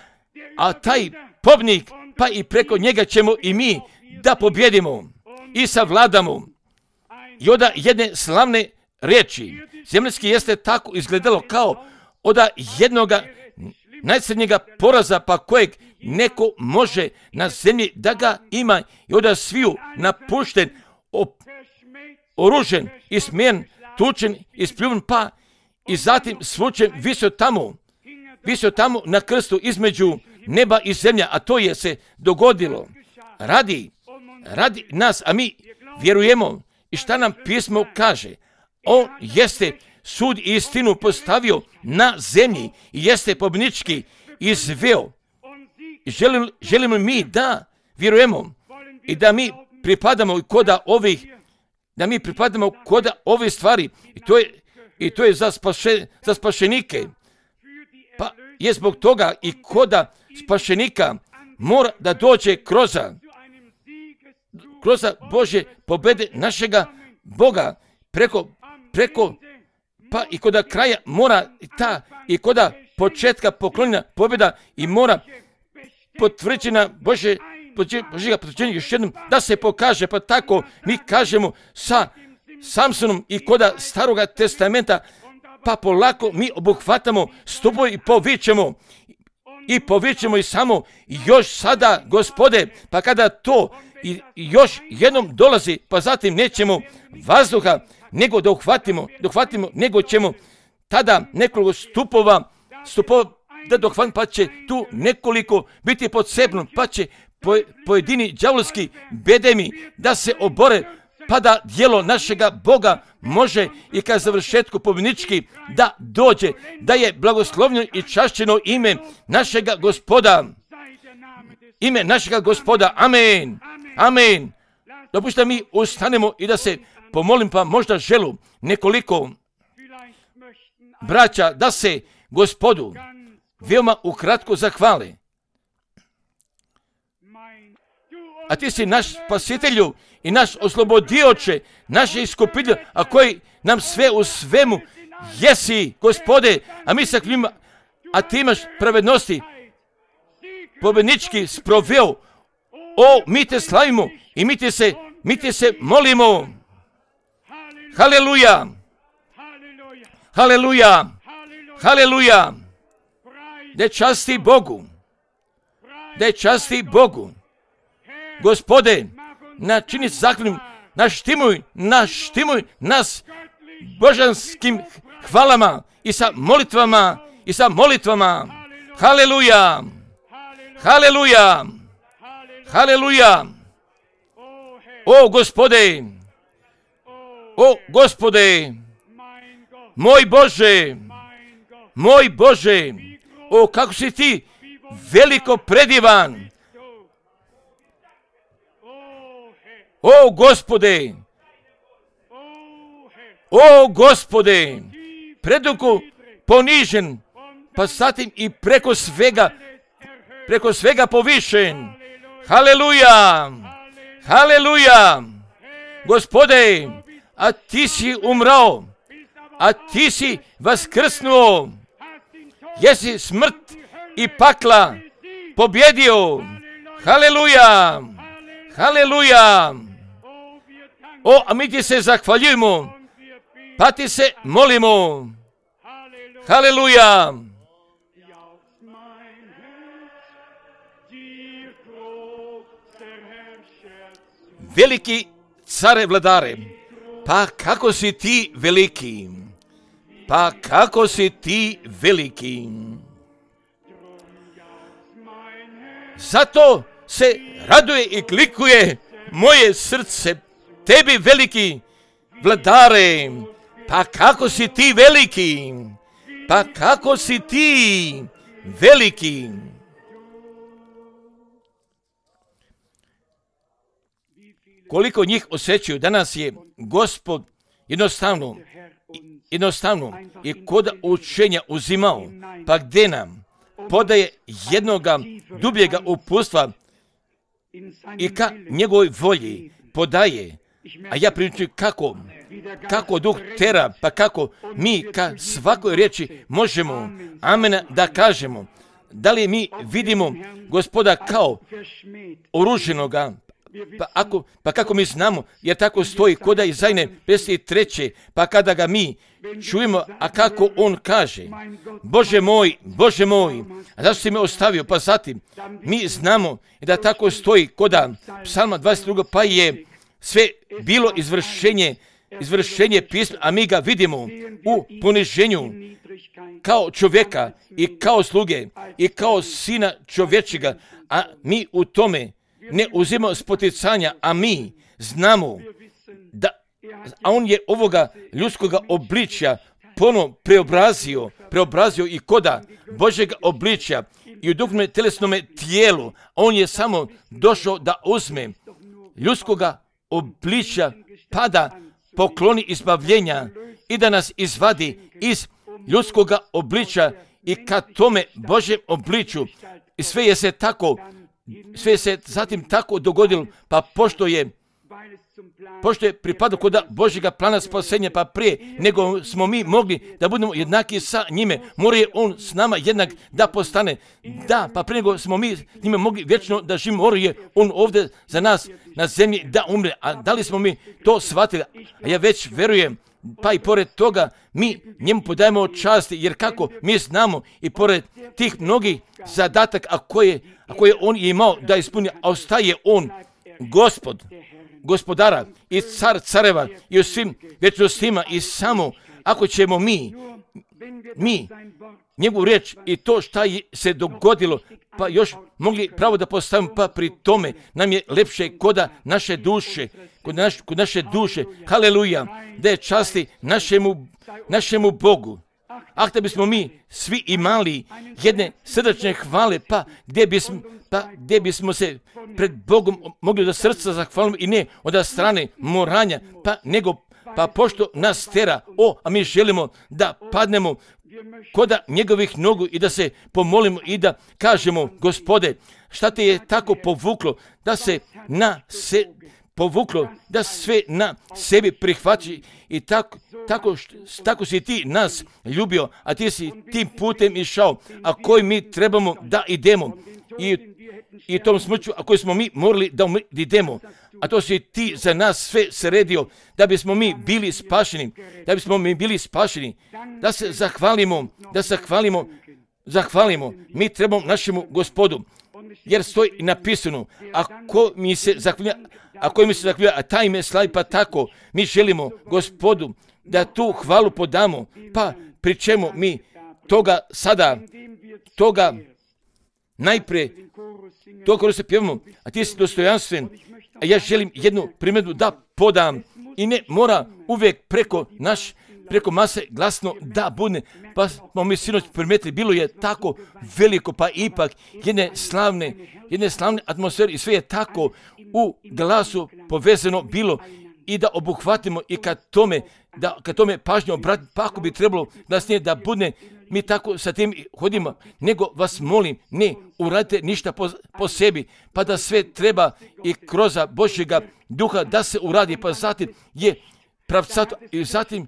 a taj pobjednik, pa i preko njega ćemo i mi da pobjedimo i savladamo. I onda jedne slavne riječi, zemaljski jeste tako izgledalo kao od jednoga najcrnjega poraza, pa kojeg neko može na zemlji da ga ima i onda sviju napušten, op, oružen, ismijen, tučen, ispljuvn, pa i zatim svučen visio tamo, visio tamo na krstu između neba i zemlja, a to je se dogodilo radi, radi nas, a mi vjerujemo. I šta nam pismo kaže? On jeste sud i istinu postavio na zemlji i jeste pobjednički izveo. Želim, želimo mi da vjerujemo i da mi pripadamo koda ovih, da mi pripadamo koda ove stvari. I to je, i to je za, spaše, za spašenike. Pa je zbog toga i koda spašenika mora da dođe kroz kroz Božje pobjede našega Boga preko, preko, pa i koda kraja mora ta i koda početka poklonjena pobjeda i mora potvrđena Božje, Božjega potvrđenja još jednom da se pokaže, pa tako mi kažemo sa Samsonom i koda Staroga testamenta, pa polako mi obuhvatamo stupove i povićemo i povićemo i samo još sada, Gospode, pa kada to i još jednom dolazi, pa zatim nećemo vazduha nego da uhvatimo, da uhvatimo, nego ćemo tada nekoliko stupova, stupova da dohvatimo, pa će tu nekoliko biti podsebno, pa će po, pojedini đavolski bedemi da se obore pada djelo našega Boga, može i ka završetku pobjednički da dođe, da je blagoslovljeno i čašćeno ime našega Gospoda. Ime našega Gospoda. Amen. Amen. Dopustite mi ustanemo i da se pomolim, pa možda želu nekoliko braća da se Gospodu veoma ukratko zahvali. A ti si naš spasitelju i naš oslobodioče, naše iskupitelj, a koji nam sve u svemu jesi, Gospode, a mi sa njima, a ti imaš pravednosti pobjednički sproveo. O, mi te slavimo i mi te se, mi te se molimo. Haleluja! Haleluja! Haleluja! Da časti Bogu! Da časti Bogu! Gospode, načini zahvalnim, naštimuj, naštimuj nas božanskim hvalama i sa molitvama, i sa molitvama. Haleluja! Haleluja! Haleluja! O Gospode! O Gospode! Moj Bože! Moj Bože! O, kako si ti veliko predivan! O Gospode! O Gospode! Predugo ponižen, pa zatim i preko svega, preko svega povišen. Haleluja! Haleluja! Gospode, a ti si umrao, a ti si vaskrsnuo, jesi smrt i pakla pobjedio. Haleluja! Haleluja! O, a mi ti se zahvaljujemo, pa ti se molimo. Haleluja! Veliki care vladare, pa kako si ti veliki, pa kako si ti veliki. Zato se raduje i klikuje moje srce, tebi veliki vladare, pa kako si ti veliki, pa kako si ti veliki. Koliko njih osjećaju, danas je Gospod jednostavno, jednostavno i kod učenja uzimao, pa gdje nam podaje jednoga dubljega upustva i ka njegovoj volji podaje, a ja pričam kako, kako duh tera, pa kako mi ka svakoj riječi možemo amen da kažemo. Da li mi vidimo Gospoda kao oruženoga, Pa, ako, pa kako mi znamo, jer tako stoji koda Izajne pedeset treće, pa kada ga mi čujemo, a kako on kaže, Bože moj, Bože moj, a zašto si me ostavio? Pa zatim, mi znamo da tako stoji koda Psalma dvadeset dva, pa je sve bilo izvršenje, izvršenje pisma, a mi ga vidimo u poniženju kao čovjeka i kao sluge i kao sina čovječega, a mi u tome ne uzimamo spoticanja, a mi znamo da, a on je ovoga ljudskoga obličja ponovno preobrazio, preobrazio i koda Božjega obličja i u duhovnom telesnome tijelu. On je samo došao da uzme ljudskoga obličja, pa da pokloni izbavljenja i da nas izvadi iz ljudskoga obličja i ka tome Božjem obličju. I sve je se tako Sve se zatim tako dogodilo, pa pošto je, pošto je pripadao kod Božjega plana spasenja, pa prije nego smo mi mogli da budemo jednaki sa njime, mora je on s nama jednak da postane. Da, pa prije nego smo mi s njime mogli vječno da živimo, mora je on ovdje za nas na zemlji da umre. A da li smo mi to shvatili? A ja već verujem, pa i pored toga mi njemu podajemo časti, jer kako mi znamo i pored tih mnogih zadataka, a koje, a koje on je imao da ispuni, a ostaje on Gospod, gospodara i car careva i u svim vječnostima i samo ako ćemo mi, mi njegovu riječ i to šta je se dogodilo, pa još mogli pravo da postavimo, pa pri tome nam je lepše koda naše duše, kod, naš, kod naše duše, haleluja, da je časti našemu, našemu Bogu. Ah, da bismo mi svi imali jedne srdačne hvale, pa gdje bismo, pa gdje bismo se pred Bogom mogli da srca zahvalimo i ne od strane moranja, pa nego, pa pošto nas tera, o, a mi želimo da padnemo koda njegovih nogu i da se pomolimo i da kažemo, Gospode, šta te je tako povuklo, da se na se povuklo, da sve na sebi prihvaći i tako, tako, tako si ti nas ljubio, a ti si tim putem išao, a koji mi trebamo da idemo i, i tom smrću, a koji smo mi morali da idemo, a to si ti za nas sve sredio, da bismo mi bili spašeni, da bismo mi bili spašeni, da se zahvalimo, da se zahvalimo, zahvalimo, mi trebamo našemu Gospodu, jer stoji napisano, ako mi se zahvalja, ako mi se zahvalja, a taj me slavi, pa tako, mi želimo Gospodu da tu hvalu podamo, pa pri čemu mi toga sada, toga najprije, to kada se pjevamo, a ti si dostojanstven, a ja želim jednu primjedbu da podam i ne mora uvijek preko naš, preko mase glasno da bude, pa smo mi sinoć primijetili, bilo je tako veliko, pa ipak jedne slavne, jedne slavne atmosfere i sve je tako u glasu povezano bilo i da obuhvatimo i kad tome, da kad tome pažnju obratimo, pa ako bi trebalo da snije da bude, mi tako sa tim hodimo, nego vas molim, ne uradite ništa po, po sebi, pa da sve treba i kroz Božjega duha da se uradi, pa zatim je pravcato i zatim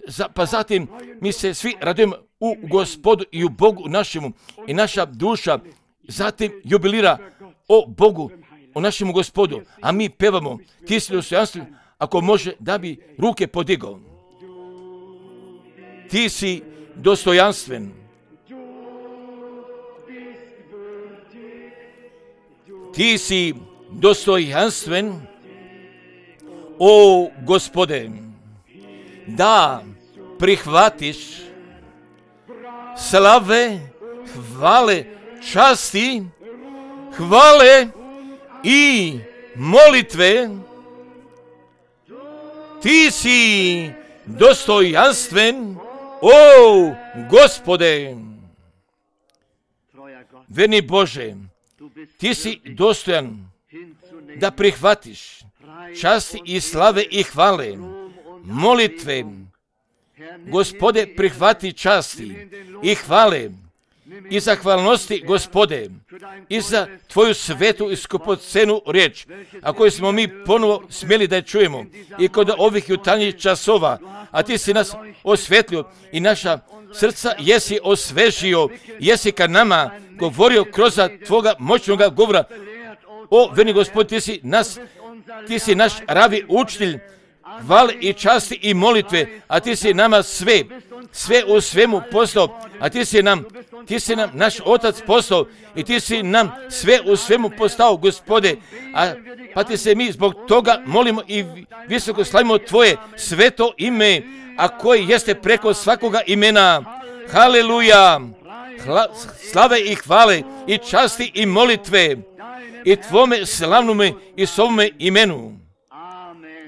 Za, pa zatim mi se svi radujemo u Gospodu i u Bogu našemu i naša duša zatim jubilira o Bogu, o našemu Gospodu, a mi pevamo, ti si dostojanstven, ako može da bi ruke podigao. Ti si dostojanstven. Ti si dostojanstven, o Gospode, da prihvatiš slave, hvale, časti, hvale i molitve. Ti si dostojanstven, o Gospode. Verni Bože, ti si dostojan da prihvatiš časti i slave i hvale, molitve. Gospode, prihvati časti i hvale i zahvalnosti, Gospode, i za tvoju svetu i skupocenu riječ, a koju smo mi ponovo smjeli da je čujemo i kod ovih jutarnjih časova, a ti si nas osvetlio i naša srca jesi osvežio, jesi ka nama govorio kroz tvoga moćnoga govora. O, verni Gospod, ti si nas, ti si naš ravi učitelj, hvale i časti i molitve, a ti si nama sve, sve u svemu postao, a ti si nam, ti si nam naš Otac postao i ti si nam sve u svemu postao, Gospode, a pa ti se mi zbog toga molimo i visoko slavimo tvoje sveto ime, a koji jeste preko svakoga imena. Haleluja, Hla, slave i hvale i časti i molitve i tvome slavnome i svome imenu.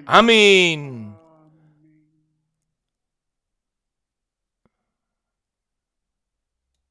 Amin.